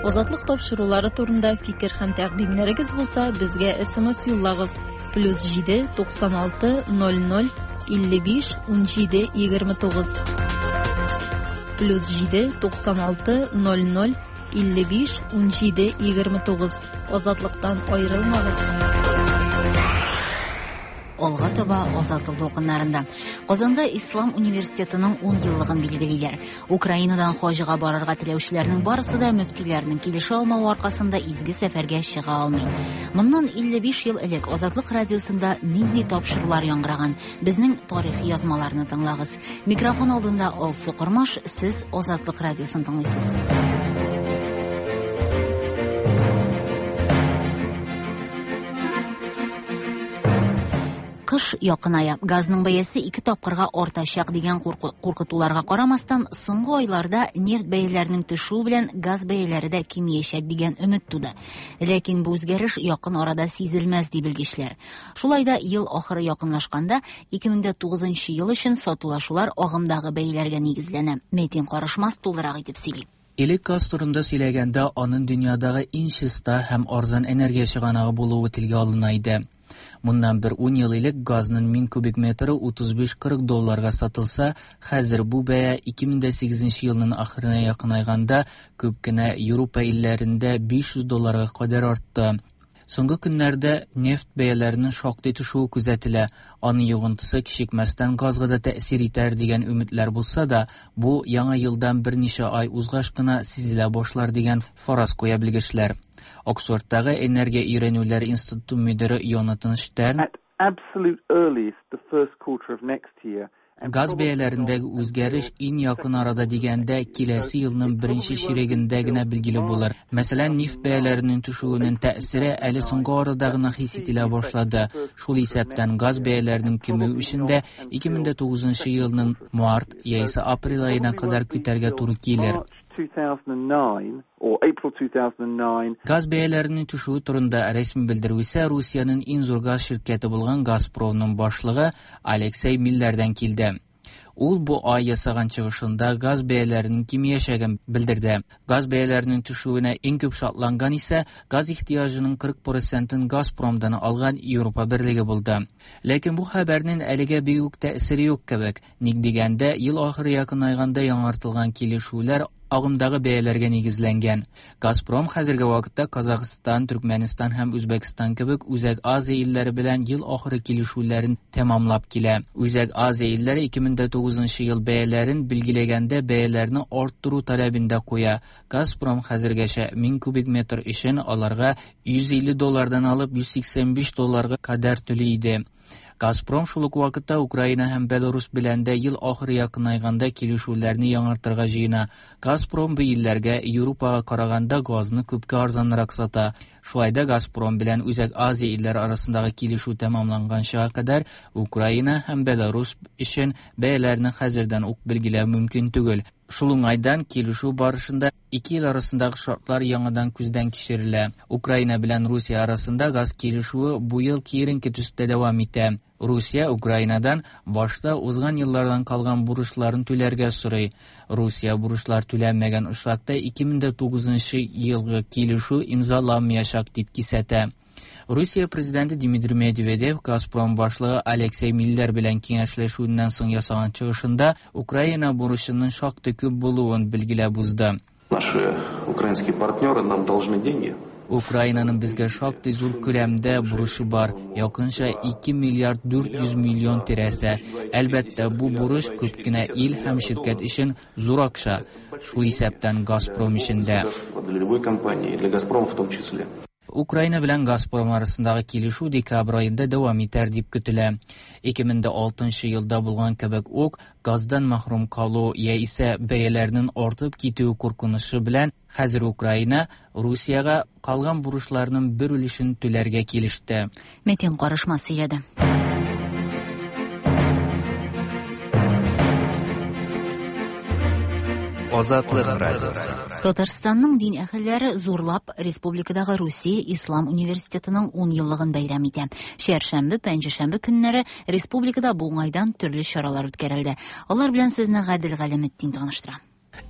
Азатлык тапшырулары турында фикер һәм тәкъдимнәрегез булса, безгә SMS юллагыз. Плюс 7 96 00 55 17 29. Плюс 7 96 00 55 17 29. Азатлыктан аерылмагыз. Алга таба Азатлык дулкыннарында. Казанда Ислам университетының 10 еллыгын билгелиләр. Украинадан хаҗга барырга теләүчеләрнең барысы да мөфтиләрнең килешә алмавы аркасында изге сәфәргә чыга алмый. Моннан 55 ел элек Азатлык радиосында нинди тапшырулар яңгыраган? Безнең тарихи язмаларны тыңлагыз. Микрофон алдында Алсу Кормаш, сез Азатлык радиосын тыңлыйсыз. Кыш якыная. Газның бәясе ике тапкырга артачак дигән куркытуларга карамастан, соңгы айларда нефть бәяләренең төшүе белән газ бәяләре дә кимиячәк дигән өмет туды. Ләкин бу үзгәреш якын арада сизелмәс, ди белгечләр. Шулай да ел ахыры якынлашканда 2009 ел өчен сатулашулар агымдагы бәяләргә нигезләнә. Мәтин Карышмас тулырак итеп сөйли. Элек газ турында сөйләгәндә, аның дөньядагы иң чиста һәм арзан энергия чыганагы булуы телгә алына иде. Моннан бер ун ел элек газның 1000 кубик метры 35-40 долларга сатылса, хәзер бу бәя 2008 елның ахырына якынайганда күп кенә Европа илләрендә 500 долларга кадәр артты. Соңгы көннәрдә нефть бәяләренең шактый төшүе күзәтелә. Аның йогынтысы кичекмәстән газга да тәэсир итәр дигән өметләр булса да, бу яңа елдан берничә ай узгач кына сизелә башлар дигән фараз куя белгечләр. Оксфордтагы энергия өйрәнүләре институты мөдире Йонатан Штерн Absolute earliest the first quarter of next year. Газ бәяләрендәге үзгәреш иң якын арада дигәндә киләсе елның беренче чирегендә генә билгеле булыр. Мәсәлән, нефть бәяләренең төшүенең тәэсире әле соңгы арада гына хис ителә башлады. Шул исәптән газ бәяләренең кимүе өчен дә 2009 елның март яисә апрель аена кадәр көтәргә туры килер. 2009 or April 2009. Газ бәяләренең төшүе турында рәсми белдерү исә Русиянең иң зур газ ширкәте булган Газпромның башлыгы Алексей Миллердән килде. Ул бу ай ясаган чыгышында газ бәяләренең кимиячәген белдерде. Газ бәяләренең төшүенә иң күп шатланган исә газ ихтыяҗының 40 процентын Газпромдан алган Европа берлеге булды. Ләкин бу хәбәрнең әлегә бик үк тәэсире юк кебек. Ник дигәндә, ел ахыры якынайганда яңартылган килешүләр агымдагы бәяләргә нигезләнгән. Газпром хәзерге вакытта Казахстан, Төркмәнстан һәм Үзбәкстан кебек Үзәк Азия илләре белән ел ахыры килешүләрен тәмамлап килә. Үзәк Азия илләре 2009 ел бәяләрен билгеләгәндә бәяләрне арттыру таләбен дә куя. Газпром хәзергәчә 1000 кубик метр өчен аларга 150 доллардан алып 185 долларга кадәр түли иде. Газпром шул ук вакытта Украина һәм Беларусь белән дә ел ахыры якынайганда килешүләрне яңартырга җыена. Газпром бу илләргә Европага караганда газны күпкә арзанрак сата. Шулай да Газпром белән Үзәк Азия илләре арасындагы килешү тәмамланганчыга кадәр Украина һәм Беларусь өчен бәяләрне хәзердән үк билгеләү мөмкин түгел. Шул уңайдан килешү барышында ике ил арасындагы шартлар яңадан күздән кичерелә. Украина белән Русия арасында газ килешүе бу ел киеренке төстә дәвам итә. Русия Украинадан башта узган еллардан калган бурычларын түләргә сорый. Русия бурычлар түләнмәгән очракта 2009 елгы килешү имзаланмаячак дип кисәтә. Русия президенты Дмитрий Медведев Газпром башлыгы Алексей Миллер белән киңәшләшүеннән соң ясаган чыгышында Украина бурычының шактый күп булуын билгеләп узды. Наши украинские партнеры нам должны деньги. Украинаның безгә шактый зур күләмдә бурычы бар, якынча 2 миллиард 400 миллион тирәсе. Әлбәттә, бу бурыч күп кенә ил һәм ширкәт өчен зур акча, шул исәптән Газпром өчен дә. Для любой компании, для Газпрома в том числе. Украина белән Газпром арасындагы килешү декабрь аенда дәвам итәр дип көтелә. 2006 елда булган кебек үк, газдан мәхрүм калу яисә бәяләрнең артып китүе куркынычы белән хәзер Украина Русиягә калган бурычларның бер өлешен түләргә килеште. Мәтин Карышмас сөйләде. Азатлык радиосы. Татарстанның дин әһелләре зурлап республикадагы Русия Ислам университетының 10 еллыгын бәйрәм итә. Чәршәмбе, пәнҗешәмбе көннәре республикада бу уңайдан төрле чаралар үткәрелде. Алар белән сезне Гадел Галәметдин таныштыра.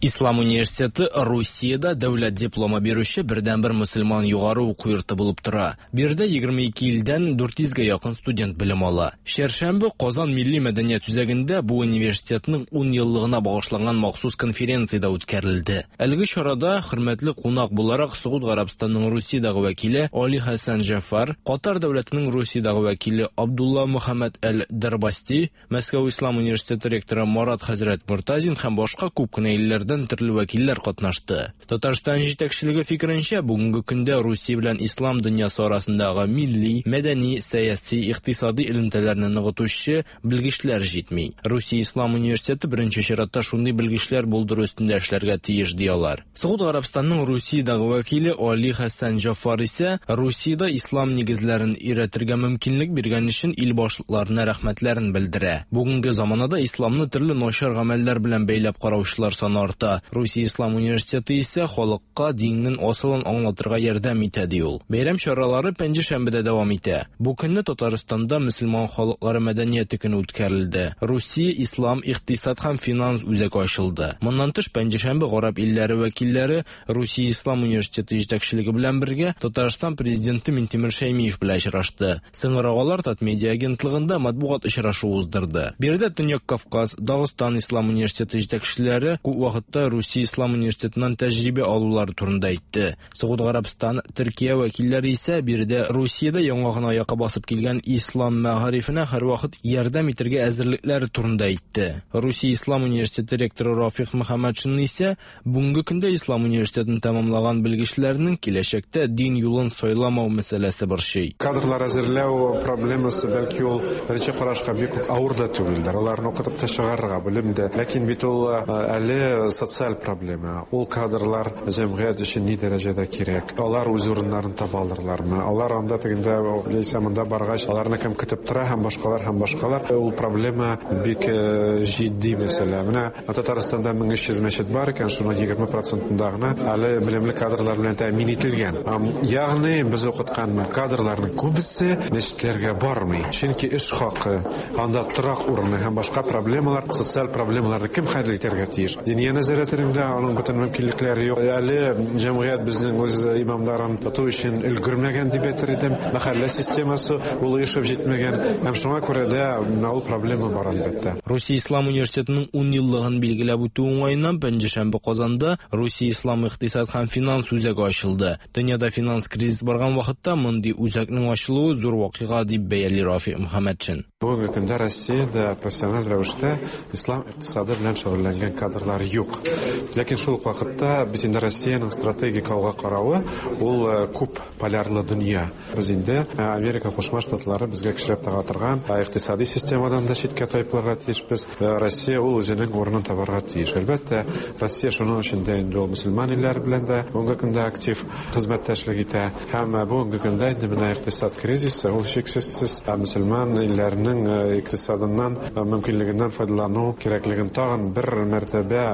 Ислам университеты Русиядә дәүләт дипломы бирүче бердәнбер мөселман югары уку йорты булып тора. Биредә 22 илдән 400гә якын студент белем ала. Чәршәмбе Казан милли мәдәният үзәгендә бу университетның 10 еллыгына багышланган махсус конференция дә үткәрелде. Әлеге чарада хөрмәтле кунак буларак Согуд Гарәбстанының Русиядәге вәкиле Али Хәсән Җәфар, Катар дәүләтенең Русиядәге вәкиле Абдулла Мөхәммәд әл-Дәрбасти, Мәскәү Ислам университеты ректоры Марат хәзрәт Мортазин һәм башка күп кенә илләрдән төрле вәкилләр катнашты. Татарстан җитәкчелеге фикеренчә, бүгенге көндә Русия белән ислам дөньясы арасындагы милли, мәдәни, сәяси, икътисади элемтәләрне ныгытучы белгечләр җитми. Русия Ислам университеты беренче чиратта шундый белгечләр булдыру өстендә эшләргә тиеш, ди алар. Согуд Гарәбстанның Русиядәге вәкиле Али Хәсән Җафар исә Русиядә ислам нигезләрен өйрәтергә мөмкинлек биргән өчен ил башлыкларына рәхмәтләрен белдерә. Бүгенге заманада исламны төрле начар гамәлләр белән бәйләп караучылар саны арта. Русия ислам университеты исә халыкка диннең асылын аңлатырга ярдәм итә, ди ул. Бәйрәм чаралары пәнҗешәмбедә дәвам итә. Бу көнне Татарстанда мөселман халыклары мәдәнияте көне үткәрелде. Русия ислам икътисад һәм финанс үзәге ачылды. Моннан тыш, пәнҗешәмбе гарәп илләре вәкилләре Русия ислам университеты җитәкчелеге белән бергә Татарстан президенты Минтимер Шәймиев белән очрашты. Соңрак алар Татмедиа агентлыгында матбугат очрашуы уздырды. Биредә Төньяк Кавказ, Дагыстан ислам университеты җитәкчеләре күп вакытта Русия ислам университетыннан тәҗрибә алулары турында әйтте. Согуд Гарәбстан, Төркия вәкилләре исә биредә Русиядә яңа гына аякка басып килгән ислам мәгарифенә һәрвакыт ярдәм итәргә әзерлекләре турында әйтте. Русия ислам университеты ректоры Рафих Мөхәммәтшин исә Бүгенге көндә Ислам университетын тәмамлаган белгечләрнең киләчәктә дин юлын сайламау мәсьәләсе борчый. Кадрлар әзерләү проблемасы, бәлки ул беренче карашка бик үк авыр да түгелдер. Аларны укытып та чыгарырга белем дә. Ләкин бит ул әле социаль проблема. Ул кадрлар җәмгыять өчен ни дәрәҗәдә кирәк? Алар үз урыннарын таба алырлармы? Алар анда тегендә яисә монда баргач, аларны кем көтеп тора һәм башкалар һәм башкалар. Ул проблема бик җитди мәсьәлә. Менә Татарстанда 1300 мәчет бар икән, шуның 20 процентында гына әле белемле кадрлар белән тәэмин ителгән. Ягъни без укыткан кадрларның күбесе мәчетләргә бармый. Чөнки эш хакы, анда торак урыны һәм башка проблемалар, социаль проблемаларны кем хәл итәргә тиеш? Диния нәзарәтенең дә аның бөтен мөмкинлекләре юк. Әле җәмгыять безнең үз имамнарын тоту өчен өлгермәгән дип әйтер идем. Мәхәллә системасы ул оешып җитмәгән. Һәм шуңа күрә дә менә ул проблема бар, әлбәттә. Русия ислам университетының ун еллыгын билгеләп үтү уңаеннан пәнҗешәмбе Казанда Русия ислам икътисад һәм финанс үзәге ачылды. Дөньяда финанс кризис барган вакытта мондый үзәкнең ачылуы зур вакыйга, дип бәяли Рафик Мөхәммәтшин. Бүгенге көндә Россиядә профессиональ рәвештә ислам икътисады белән шөгыльләнгән кадрлар юк. Ләкин шул ук вакытта бит инде Россиянең стратегик алга каравы ул күп полярлы дөнья. Без инде Америка Кушма Штатлары безгә көчләп тага торган икътисади системадан да читкә тайпылырга тиешбез. Россия ул үзенең урынын табарга тиеш. Әлбәттә, Россия шуның өчен дә инде ул мөселман илләре белән дә бүгенге көндә актив хезмәттәшлек итә. Һәм бүгенге көндә инде менә икътисад кризисы, ул шиксезсез мөселман илләренең икътисадыннан мөмкинлегеннән файдалану кирәклеген тагын бер мәртәбә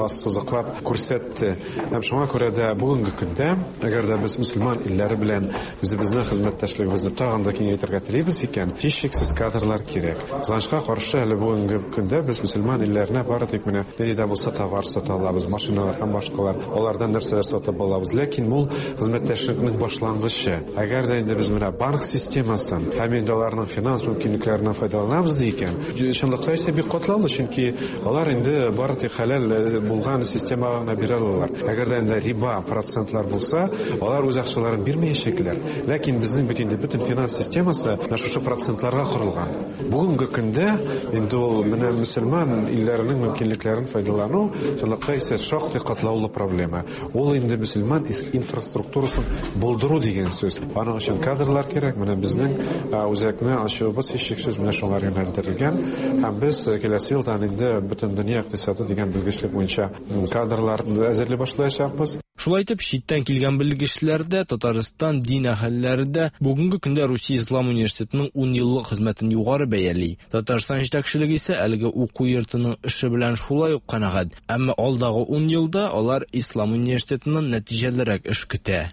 ассызыклап күрсәтте. Һәм шуңа күрә дә бүгенге көндә, әгәр дә без мөселман илләре белән үзебезнең хезмәттәшлегебезне тагын да киңәйтергә телибез икән, һичшиксез кадрлар кирәк. Кызганычка каршы, әле бүгенге көндә без мөселман илләренә бары тик менә нинди дә булса товар сата алабыз, машиналар һәм башкалар, алардан нәрсәләр сатып алабыз. Ләкин ул хезмәттәшлекнең башлангычы. Әгәр дә инде без менә банк системасын һәм инде аларның финанс мөмкинлекләреннән файдаланабыз икән, чынлыкта исә бик катлаулы, чөнки алар инде бары тик хәләл булган системага гына бирә алалар. Әгәр дә инде риба процентлар булса, алар үз акчаларын бирмәячәкләр. Ләкин безнең бит инде бөтен финанс системасы менә шушы процентларга корылган. Бүгенге көндә инде ул менә мөселман илләренең мөмкинлекләрен файдалану чынлыкта исә шактый катлаулы проблема. Ул инде мөселман инфраструктурасын булдыру дигән сүз. Аның өчен кадрлар кирәк. Менә безнең үзәкне ачуыбыз һичшиксез менә шуңар юнәлдерелгән. Һәм без киләсе елдан инде Бөтендөнья икътисады дигән белгечлек буенча кадрлар әзерли башлаячакбыз. Шулай итеп, читтән килгән белгечләр дә, Татарстан дин әһелләре дә бүгенге көндә Русия ислам университетының ун еллык хезмәтен югары бәяли. Татарстан җитәкчелеге исә әлеге уку йортының эше белән шулай ук канәгать. Әмма алдагы ун елда алар ислам университетыннан нәтиҗәлерәк эш көтә.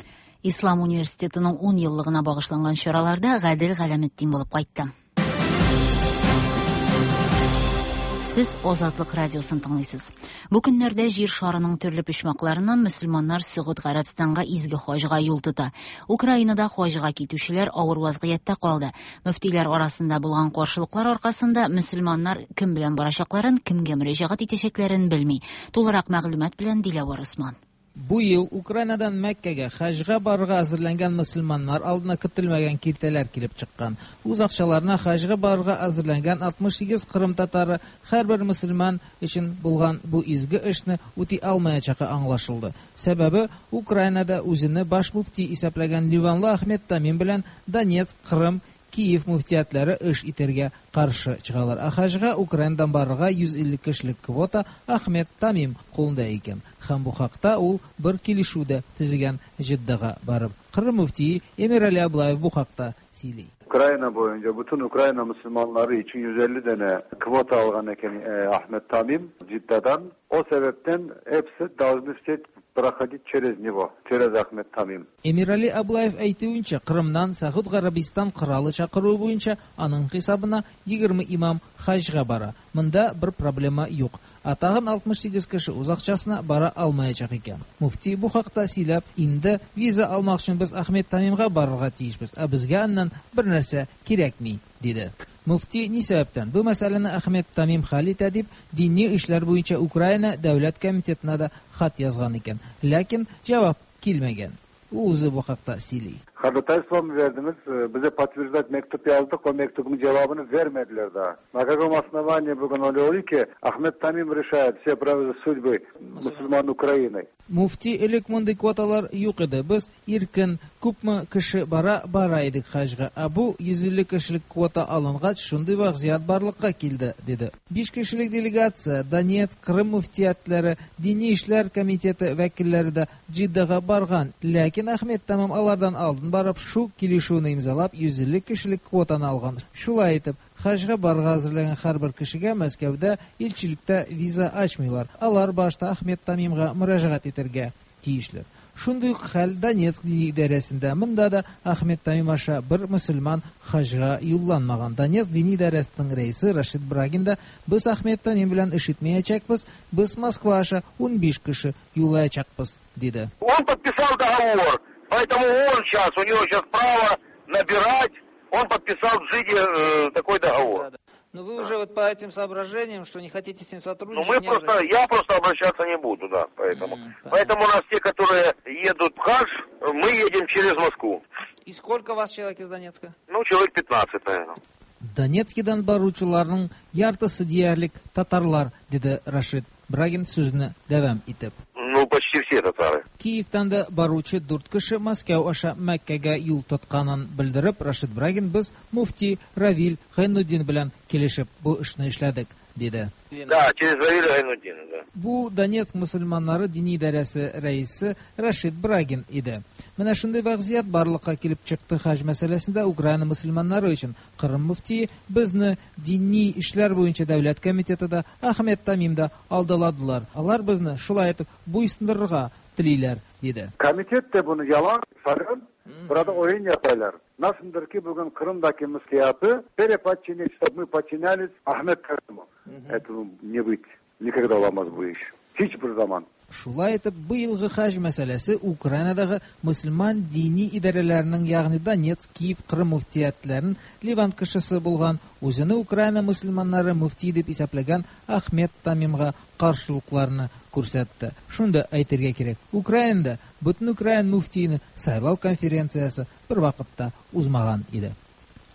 Ислам университетының ун еллыгына багышланган чараларда Гадел Галәметдин булып кайтты. Сез Азатлык радиосын тыңлыйсыз. Бу көннәрдә җир шарының төрле почмакларыннан мөселманнар Сөгуд Гарәбстанга изге хаҗга юл тота. Украинада хаҗга китүчеләр авыр вазгыятьтә калды. Мөфтиләр арасында булган каршылыклар аркасында мөселманнар кем белән барачакларын, кемгә мөрәҗәгать итәчәкләрен белми. Тулырак мәгълүмат белән Диләвар Усман. Бу ел Украинадан Мәккәгә хаҗга барырга әзерләнгән мөселманнар алдына көтелмәгән киртәләр килеп чыккан. Үз акчаларына хаҗга барырга әзерләнгән 68 кырым татары һәрбер мөселман өчен булган бу изге эшне үти алмаячагы аңлашылды. Сәбәбе Украинада үзене баш мөфти исәпләгән Ливанлы Ахмед Тамим белән Донецк, Кырым, Киев мөфтиятләре эш итәргә каршы чыгалар. Ә хаҗга Украинадан барырга 150 кешелек квота Ахмед Тамим кулында икән. Һәм бу хакта ул бер килешү дә төзегән Җиддага барып. Кырым мөфтие Эмирали Аблаев бу хакта сөйли. Ukrayna boyunca bütün Ukrayna Müslümanları için 150 tane kvota algan eken Ahmet Tamim Cidda'dan. O sebepten hepsi должны все проходить через него, через Ахмет Тамим. Эмирали Аблаев әйтүенчә, Кырымнан Сәгуд Гарәбистан коралы чакыруы буенча аның хисабына 20 имам хаҗга бара. Монда бер проблема юк. Ә тагын 68 кеше үз акчасына бара алмаячак икән. Муфти бу хакта сөйләп, инде виза алмак өчен без Ахмед Тамимга барырга тиешбез, ә безгә аннан бер нәрсә кирәкми, диде. Муфти ни сәбәптән бу мәсьәләне Ахмед Тамим хәл итә дип, дини эшләр буенча Украина дәүләт комитетына да хат язган икән. Ләкин җавап килмәгән. Ул үзе бу хакта сөйли. Ходатайство mı verdiniz? Bize подтверждать mektup yazdık. O mektubun cevabını vermediler daha. На каком основании bugün öyle oluyor ki Ahmet Tamim решает все судьбы мусульман Украины? Муфти элек мондый квоталар юк иде. Без иркен күпме кеше бара, бара идек хаҗга. Ә бу 150 кешелек квота алынгач, шундый вазгыять барлыкка килде, диде. 5 кешелек делегация Донецк, Крым муфтиятләре, Дини эшләр комитеты вәкилләре дә Җиддага барган. Ләкин Ахмед Тамим алардан алдын барып, шу килешүне имзалап, 150 кешелек квотаны алган. Шулай итеп, хаҗга барырга әзерләнгән һәрбер кешегә Мәскәүдә илчелектә виза ачмыйлар. Алар башта Ахмед Тамимга мөрәҗәгать итәргә тиешләр. Шундый ук хәл Донецк дини идарәсендә. Монда да Ахмед Тамим аша бер мөселман хаҗга юлланмаган. Донецк дини идарәсенең рәисе Рашид Брагин да без Ахмед Тамим белән эш итмәячәкбез, без Москва аша 15 кеше юллаячакбыз, диде. Он подписал договор, поэтому он сейчас, у него сейчас право набирать, он подписал в Джиде такой договор. Но вы уже вот по этим соображениям, что не хотите с ним сотрудничать... Ну, мы просто, я просто обращаться не буду, да, поэтому. Поэтому у нас те, которые едут в хадж, мы едем через Москву. И сколько вас человек из Донецка? Ну, человек 15, наверное. Донецкидан баручыларның яртысы диярлек татарлар, диде Рашид Брагин сүзне дәвам итеп. Ну, почти все татары. Киевтан да баручы 4 кеше Мәскәү аша Мәккәгә юл тотканын белдереп, Рашид Брагин без муфти Равиль Гайнутдин белән килешеп бу эшне эшләдек, диде. Да, через Равиля Гайнутдина, да. Бу Донецк мусульманнары дини идарәсе рәисе Рашид Брагин иде. Менә шундый вазгыять барлыкка килеп чыкты хаҗ мәсьәләсендә Украина мусульманнары өчен. Кырым муфтие безне дини эшләр буенча дәүләт комитеты да, Ахмед Тамим да алдаладылар. Алар безне шулай итеп буйсындырырга телиләр, диде. Комитет de bunu yalan sakın. Burada oyun yaparlar. Nasıldır ki bugün Kırım'daki müftiyatı переподчинить, чтобы мы подчинялись Ахмед Тамиму. Этого не быть. Никогда olamaz bu iş. Hiçbir zaman. Шулай итеп, быелгы хаҗ мәсьәләсе Украинадагы мөселман дини идарәләренең, ягъни Донецк, Киев, Кырым муфтиятләрен Ливан кешесе булган, үзене Украина мөселманнары муфти дип исәпләгән Ахмед Тамимга каршылыкларны күрсәтте. Шунда әйтергә кирәк, Украинада бөтен украин муфтиен сайлау конференциясе бер вакытта узмаган иде.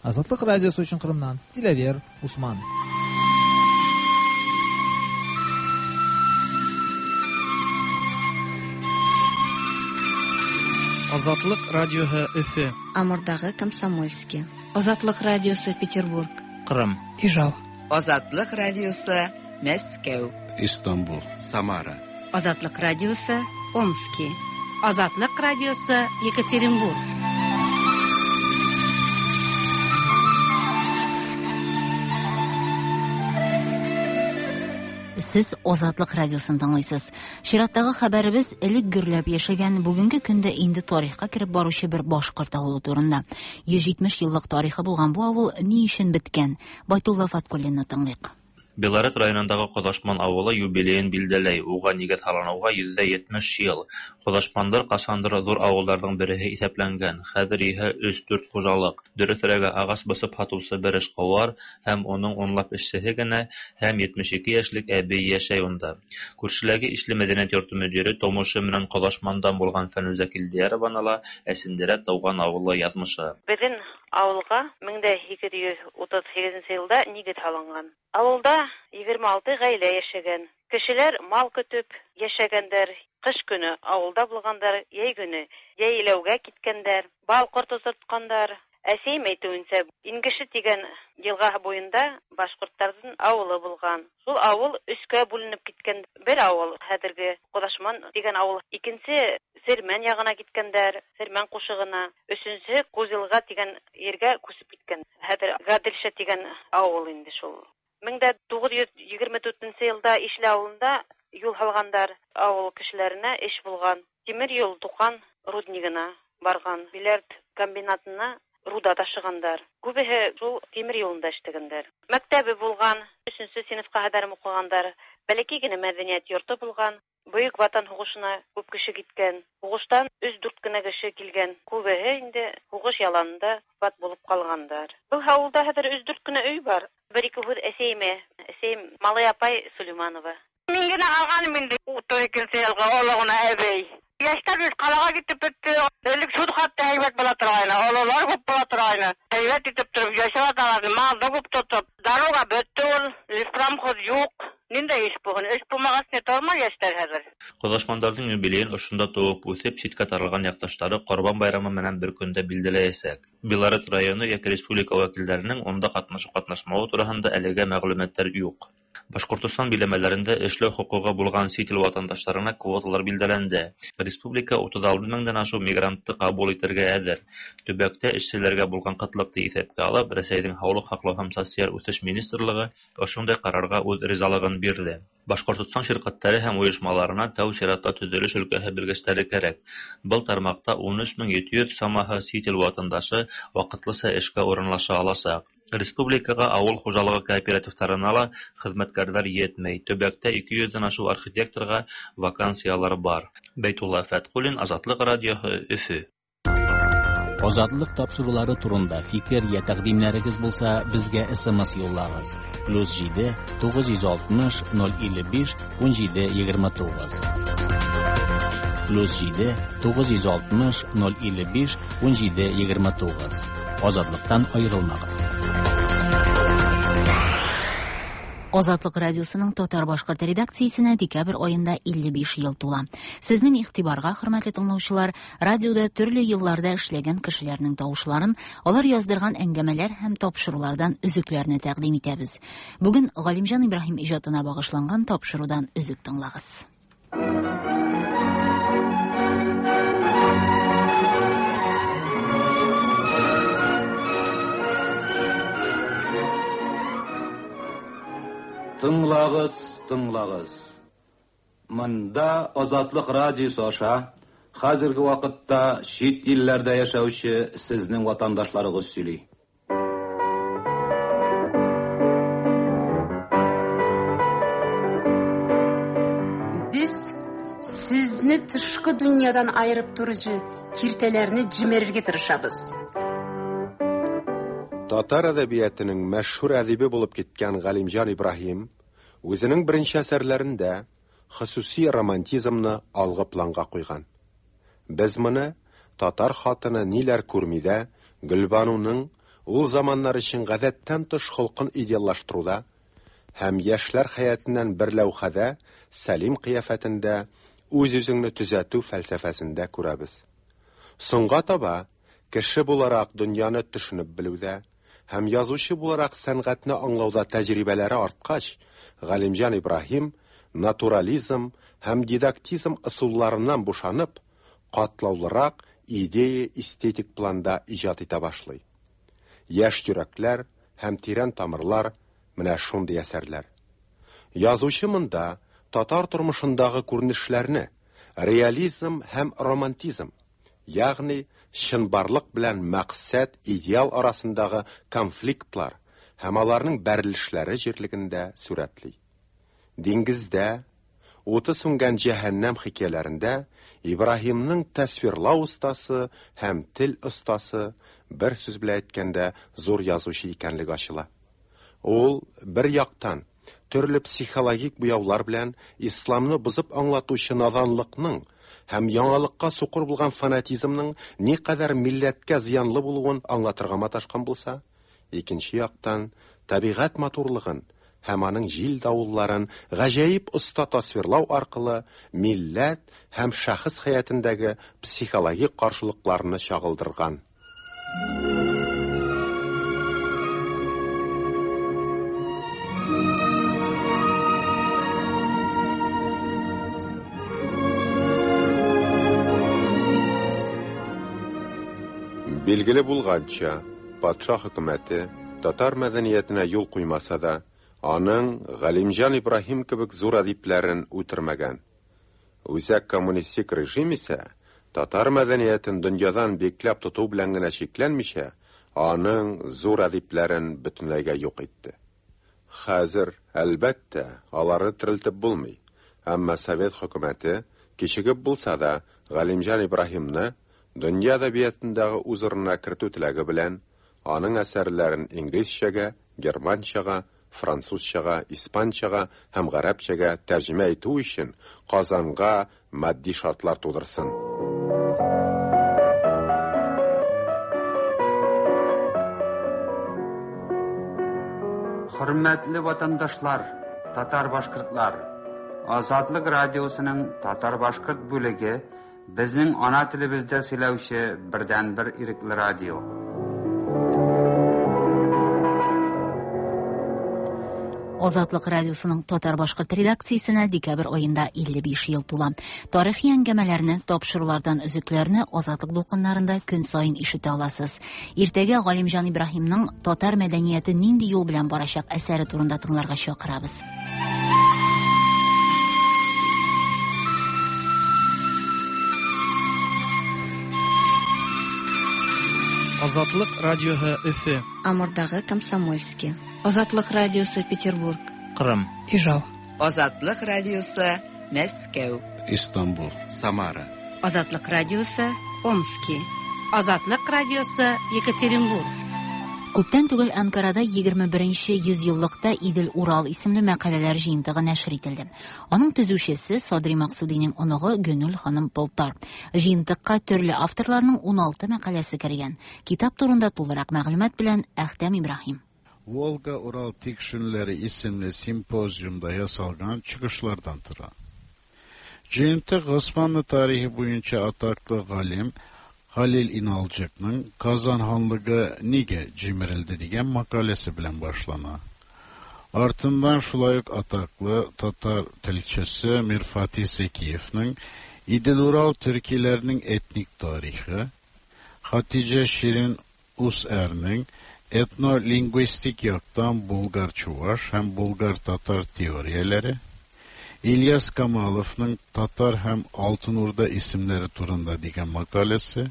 Азатлык радиосы өчен Кырымнан Диләвер Усман. Азатлык радиоһы Өфе. Амурдагы Комсомольский. Азатлык радиосы Петербург. Кырым. Ижау. Азатлык радиосы Мәскәү. Истанбул. Самара. Азатлык радиосы Омски. Азатлык радиосы Екатеринбург. Сез Азатлык радиосын тыңлыйсыз. Чираттагы хәбәребез элек гөрләп яшәгән, бүгенге көндә инде тарихка кереп баручы бер башкорт авылы турында. 170 еллык тарихы булган бу авыл ни өчен беткән? Байтулла Фаткуллинны тыңлыйк. Белорет районындагы Кодашман авылы юбилеен билдәләй, уга нигез һалынуга 170 ел. Кодашмандар кашандыр зур авылларның береһе исәпләнгән. Хәзер иһә 3-4 хуҗалык. Дөресрәге, агач басып һатучы бер эшкуар һәм уның унлап эшчеһе генә һәм 72 яшьлек әби яшәй унда. Күршеләге Ишле мәдәният йорты мөдире тумышы менән Кодашмандан булган Фәнүзә Килдиярованың ла әсендерә туган авылы язмышы. Безнең авылга 1838 елда нигез һалынган. Авылда 26 гаилә яшәгән. Кешеләр мал көтеп яшәгәндәр. Кыш көне авылда булгандар, йәй көне йәйләүгә киткәндәр, бал корты тоткандар. Әсәем әйтүенчә, Ингеше дигән елга буенда башкортларның авылы булган. Шул авыл өчкә бүленеп киткән. Бер авыл хәзерге Кодашман дигән авыл, икенче Сермән ягына киткәннәр, Сермән кушыгына, өченче Кузилга дигән җиргә күчеп киткән. Хәзер Гаделша дигән авыл инде шул. 1924 елда Ишле авылында юл һалгандар, авыл кешеләренә эш булган. Тимер юл Тукан руднигына барган, Биләрд комбинатына руда ташыгандар. Күбеһе шул тимер юлында эшләгәннәр. Мәктәбе булган, өченче сыйныфка кадәр укыгандар. Бәләкәй генә мәдәният йорты булган. Бөек Ватан һугышына күп кеше киткән. Һугыштан өч-дүрт кенә кеше килгән. Күбеһе инде һугыш яланында вафат булып калгандар. Был авылда хәзер өч-дүрт кенә өй бар. Бер-ике һүз әсәемә. Әсәем Малый апай Сулейманова. Мин генә калганым инде 32 елга олы гына әбей. Яшьләр бит калага китеп бетте. Элек шул хәтле әйбәт була торгайны, олылар күп була торгайны. Әйбәт итеп торып яшәп яталар, малны күп тотып. Дорога бетте ул, леспромхоз юк. Ниндәй эш бүген? Эш булмагач, не тормый яшьләр хәзер. Кодашмандарның юбилеен ошында туып үсеп, читкә таралган якташлары Корбан байрамы менән бер көндә билгеләячәк. Белорет районы яки республика вәкилләренең монда катнашу-катнашмавы тураһында әлегә мәгълүматлар юк. Башкортостан биләмәләрендә эшләү хокукы булган чит ил ватандашларына квоталар билгеләнде. Республика 36 меңнән ашык мигрантны кабул итәргә әзер. Төбәктә эшчеләргә булган кытлыкны исәпкә алып, Рәсәйнең Һаулык һаклау һәм социаль үсеш министрлыгы ошондай карарга үз ризалыгын бирде. Башкортостан ширкәтләре һәм оешмаларына тәү чиратта төзелеш өлкәһе белгечләре кәрәк. Был тармаҡта 13 700 самаһы сит ил ватандашы ваҡытлыса эшкә урынлаша аласаҡ. Республикаға ауыл хужалығы кооперативтарына ла хеҙмәткәрҙәр етмәй. Төбәктә 200-дән ашыу архитекторға вакансиялар бар. Бәйтулла Фәтҡуллин, Азатлыҡ радиоһы, Өфө. Азатлык тапшырулары турында фикер я тәкъдимнәрегез булса, безгә SMS юллагыз. +7 960 055 17 29. +7 960 055 17 29. Азатлыктан аерылмагыз. Азатлык радиосының татар-башкорт редакциясенә декабрь аенда 55 ел тула. Сезнең игътибарга, хөрмәтле тыңлаучылар, радиода төрле елларда эшләгән кешеләрнең тавышларын, алар яздырган әңгәмәләр һәм тапшырулардан өзекләрне тәкъдим итәбез. Бүген Галимҗан Ибраһим иҗатына багышланган тапшырудан өзек тыңлагыз. Тыңлагыз, тыңлагыз. Монда Азатлык радиосы аша хәзерге вакытта чит илләрдә яшәүче сезнең ватандашларыгыз сөйли. Без сезне тышкы дөньядан аерып торучы киртәләрне җимерергә тырышабыз. Татар әдәбиятының мәшһүр әдибе булып киткән Галимҗан Ибраһим үзенең беренче әсәрләрендә хосуси романтизмны алгы планга куйган. Без моны татар хатыны ниләр күрмидә Гөлбануның ул заманнар өчен гадәттән тыш холкын идеаллаштыруда һәм яшьләр хәятыннан бер ләүхәдә Сәлим кыяфәтендә үз-үзеңне төзәтү фәлсәфәсендә күрәбез. Соңга таба кеше буларак дөньяны төшенеп белүдә һәм язучы буларак сәнгатьне аңлауда тәҗрибәләре арткач, Галимҗан Ибраһим натурализм һәм дидактизм ысулларыннан бушанып, катлаулырак идея-эстетик планда иҗат итә башлый. Яшь йөрәкләр һәм тирән тамырлар менә шундый әсәрләр. Язучы монда татар тормышындагы күренешләрне реализм һәм романтизм, ягъни чынбарлык белән максат, идеал арасындагы конфликтлар һәм аларның бәрелешләре җирлегендә сурәтли. Диңгездә, уты сүнгән җәһәннәм хикәяләрендә Ибраһимның тасвирлау остасы һәм тел остасы, бер сүз белән әйткәндә, зур язучы икәнлеге ачыла. Ул бер яктан төрле психологик буяулар белән исламны бозып аңлатучы наданлыкның һәм яңалыкка сукыр булган фанатизмның никадәр милләткә зыянлы булуын аңлатырга маташкан булса, икенче яктан табигать матурлыгын һәм аның җил давылларын гаҗәеп оста тасвирлау аркылы милләт һәм шәхес хәятендәге психологик каршылыкларны чагылдырган. Билгеле булганча, патша хөкүмәте татар мәдәниятенә юл куймаса да, аның Галимҗан Ибраһим кебек зур әдипләрен үтермәгән. Үзәк коммунистик режим исә татар мәдәниятен дөньядан бикләп тоту белән генә чикләнмичә, аның зур әдипләрен бөтенләйгә юк итте. Хәзер, әлбәттә, аларны терелтеп булмый, әмма Совет хөкүмәте, кичегеп булса да, Галимҗан Ибраһимны дөнья әдәбиятындагы үз урынына кертү теләге белән, аның әсәрләрен инглизчәгә, германчага, французчага, испанчага һәм гарәпчәгә тәрҗемә итү өчен Казанга матди шартлар тудырсын. Хөрмәтле ватандашлар, татар-башкортлар! Азатлык радиосының татар-башкорт бүлеге безнең ана телебездә сөйләүче бердәнбер ирекле радио. Азатлык радиосының татар-башкорт редакциясенә декабрь аенда 55 ел тула. Тарихи әңгәмәләрне, тапшырулардан өзекләрне Азатлык дулкыннарында көн саен ишетә аласыз. Иртәгә Галимҗан Ибраһимның Татар мәдәнияте нинди юл белән барачак әсәре турында тыңларга чакырабыз. Азатлык радиоһы Өфе. Амурдагы Комсомольский. Азатлык радиосы Петербург. Кырым. Ижау. Азатлык радиосы Мәскәү. Истанбул. Самара. Азатлык радиосы Омски. Азатлык радиосы Екатеринбург. Күптән түгел Анкарада 21нче йөзьеллыкта Идел-Урал исемле мәкаләләр җыентыгы нәшер ителде. Аның төзүчесе Садри Максудиның оныгы Гөнүл ханым Полтар. Җыентыкка төрле авторларның 16 мәкаләсе кергән. Китап турында тулырак мәгълүмат белән Әхтәм Ибраһим. Волга-Урал Tikşinleri isimli simpozyumda yasalgan çıkışlardan tura. Cıyıntık Osmanlı tarihi boyunca ataklı galim Halil İnalcık'nın Kazan Hanlığı nige cimirildi diyen makalesi bilen başlana. Артындан шулай ук атаклы татар телчесе Мирфатих Зекиевның Идел-Урал төркиләренең этник тарихы, Хатиҗә Ширин Усәрнең этнолингвистик яктан булгар-чуваш һәм булгар-татар теорияләре, Ильяс Камаловның Татар һәм Алтын Урда исемнәре турында дигән мәкаләсе,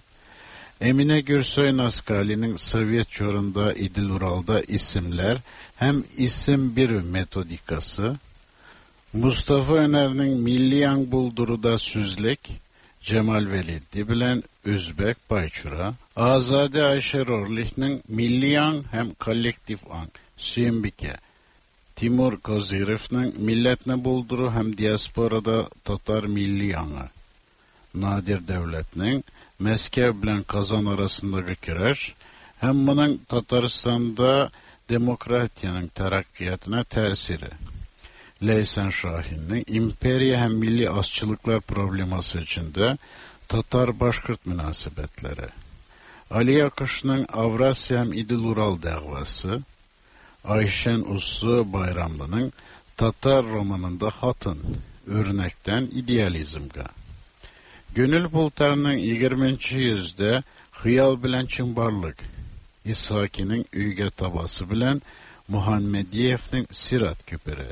Эминә Гөрсөй Наскалиның Совет чорында Идел-Уралда исемләр һәм исем бирү методикасы, Mustafa Öner'nin Milli Yang Bulduruda Süzlek, Cemal Veliddi bilen Özbek Bayçura, Azade Ayşe Rorlih'nin Milli Yang hem Kollektif Ang, Süyümbike, Timur Kozirev'nin Milletne Bulduru hem Diasporada Tatar Milli Yangı, Nadir Devlet'nin Meskev bilen Kazan arasındaki küreş, hem bunun Tataristan'da demokratiyanın terakkiyatına tesiri. Leysen Şahin'in imperiya hem milli azçılıklar probleması içinde Tatar-Başkırt münasebetleri, Ali Yakış'ın Avrasya hem İdil-Ural davası, Ayşen Uslu Bayramlı'nın Tatar romanında Hatın, örnekten idealizmge. Gönül Bultar'ın 20. yüzde Hıyal bilen Çımbarlık, İshaki'nin Üyge Tabası bilen Muhammediyev'nin Sirat Küperi.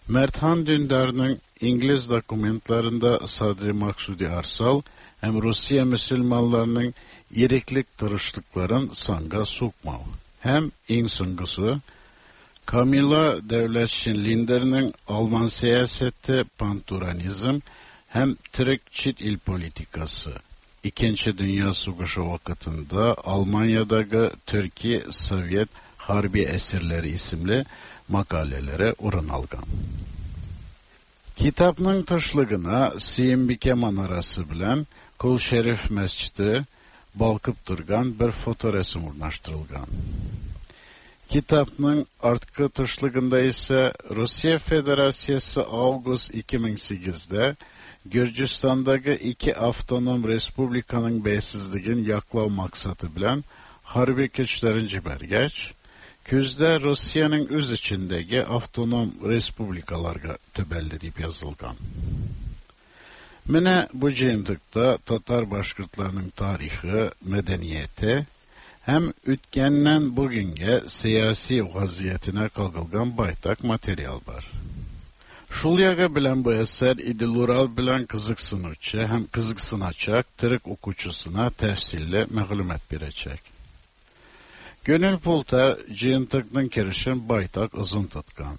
Merthan Dündar'ın İngiliz dokumentlarında Sadri Maksudi Arsal hem Rusya Müslümanlarının iriklik tırışlıkların sanga sokmav. Hem en songusu Kamila Devletşin Linder'nin Alman siyaseti panturanizm hem Türk çit il politikası. İkinci Dünya Savaşı vakitinde Almanya'daki Türkiye Sovyet Harbi Esirleri isimli makalelere orun algan. Kitapның тышлыгына Сөембикә манарасы белән Кол Шәриф мәсҗиде балкып торган бер фоторәсем урнаштырылган. Kitapның арткы тышлыгында исә Россия Федерациясе август 2008-дә Gürcistan'daki iki avtonom respublikanın beysiz yaklav maksatı bilen harbi güçlerin cibergeç, küzde Rusya'nın öz içindeki avtonom respublikalarga töbeldi deyip yazılgan. Менә бу җыентыкта татар башкортларының тарихы, мәдәнияте һәм үткәннән бүгенгә сәяси вазиятенә кагылган байтак материал бар. Шул ягы белән бу әсәр Идел-Урал белән кызыксынучы һәм кызыксыначак төрек укучысына тәфсилле мәгълүмат бирәчәк. Гönül Pulter җыентыкның керешен байтак озын тоткан.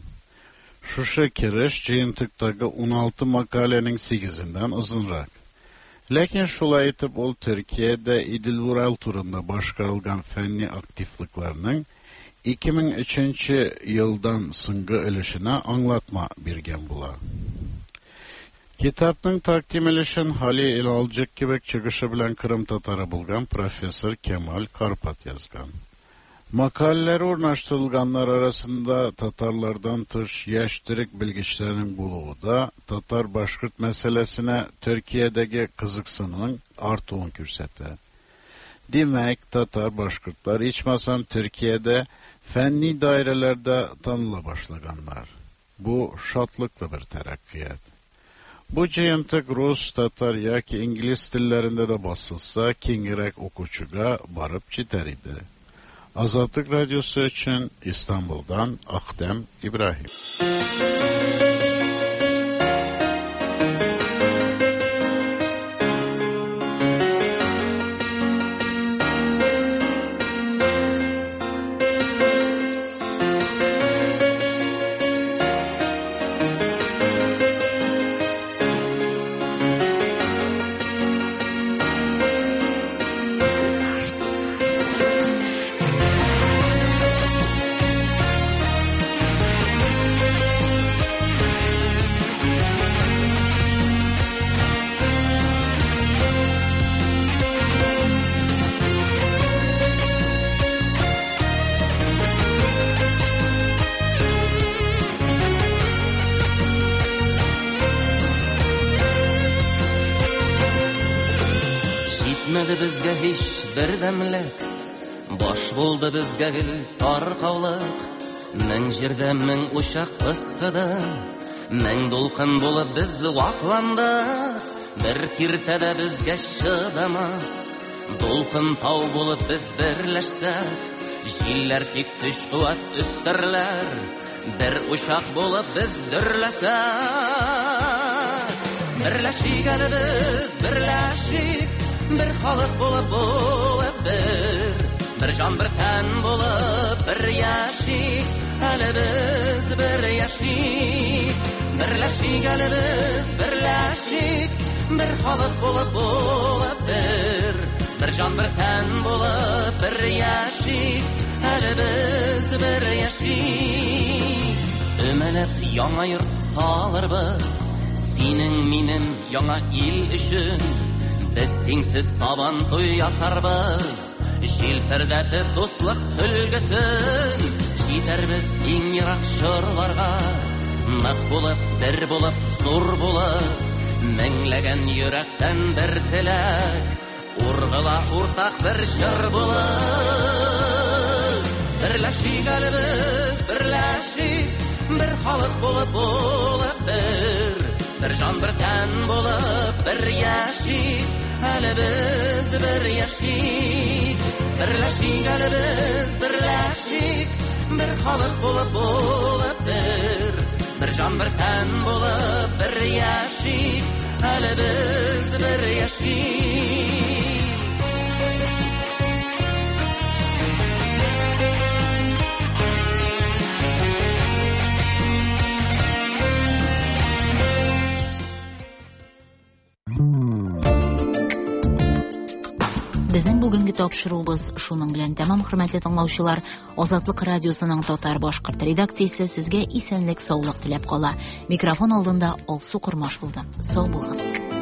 Шушы кереш җыентыктагы 16 мәкаләнең 8-ендән озынрак. Ләкин шулай итеп ул Төркиядә Идел-Урал турында башкарылган фәнни активлыкларның 2003 елдан соңгы өлешенә аңлатма биргән була. Китапның тәкъдим өлешен Хали Илалҗык кебек чыгышы белән Кырым татары булган профессор Кемаль Карпат язган. Макалеләре урнаштырылганнар арасында татарлардан тыш яшь төрек белгечләренең булуы да татар-башкорт мәсьәләсенә Төркиядәге кызыксынуның артуын күрсәтә. Димәк, татар-башкортлар ичмасам Төркиядә фәнни даирәләрдә таныла башлаганнар. Бу шатлыклы бер тәрәккыят. Бу җыентык рус, татар яки инглиз телләрендә дә басылса, киңрәк укучыга барып җитәр иде. Азатлык радиосы өчен Истанбулдан Ахтем Ибраһим. Җитмәде безгә һич бердәмлек, Баш булды безгә гел таркаулык. Мең җирдә мең учак пыскыды, Мең дулкын булып без вакландык. Бер киртә дә безгә чыдамас, Дулкын тау булып без берләшсәк, Җилләр тик көч куәт өстәрләр, Бер учак булып без дөрләсәк. Берләшик әле без, берләшик, Бер халык булып булып бер, Бер җан бер тән булып бер яшик, Әле без бер яшик. Берләшик әле без, берләшик, Бер халык булып булып бер, Бер җан бер тән булып бер яшик, Әле без бер яшик. Өмәләп яңа йорт салырбыз, Синең минем яңа ил өчен. Без тиңсез сабан туй ясарбыз, Җилфердәтеп дуслык сөлгесен. Җитәрбез иң ерак чорларга, Нык булып, бер булып, зур булып, Меңләгән йөрәктән бер теләк, Ургыла уртак бер җыр булып. Берләшик әле без, берләшик, Бер халык булып булып бер, Бер җан бер тән булып бер яшик, Әле без бер яшик. Берләшик әле без, берләшик, Бер халык булып булып бер, Бер җан бер тән булып бер яшик, Әле без бер яшик. Безнең бүгенге тапшыруыбыз шуның белән тәмам, хөрмәтле тыңлаучылар. Азатлык радиосының татар башкорт редакциясе сезгә исәнлек, саулык теләп кала. Микрофон алдында Алсу Кормаш булды. Сау булыгыз.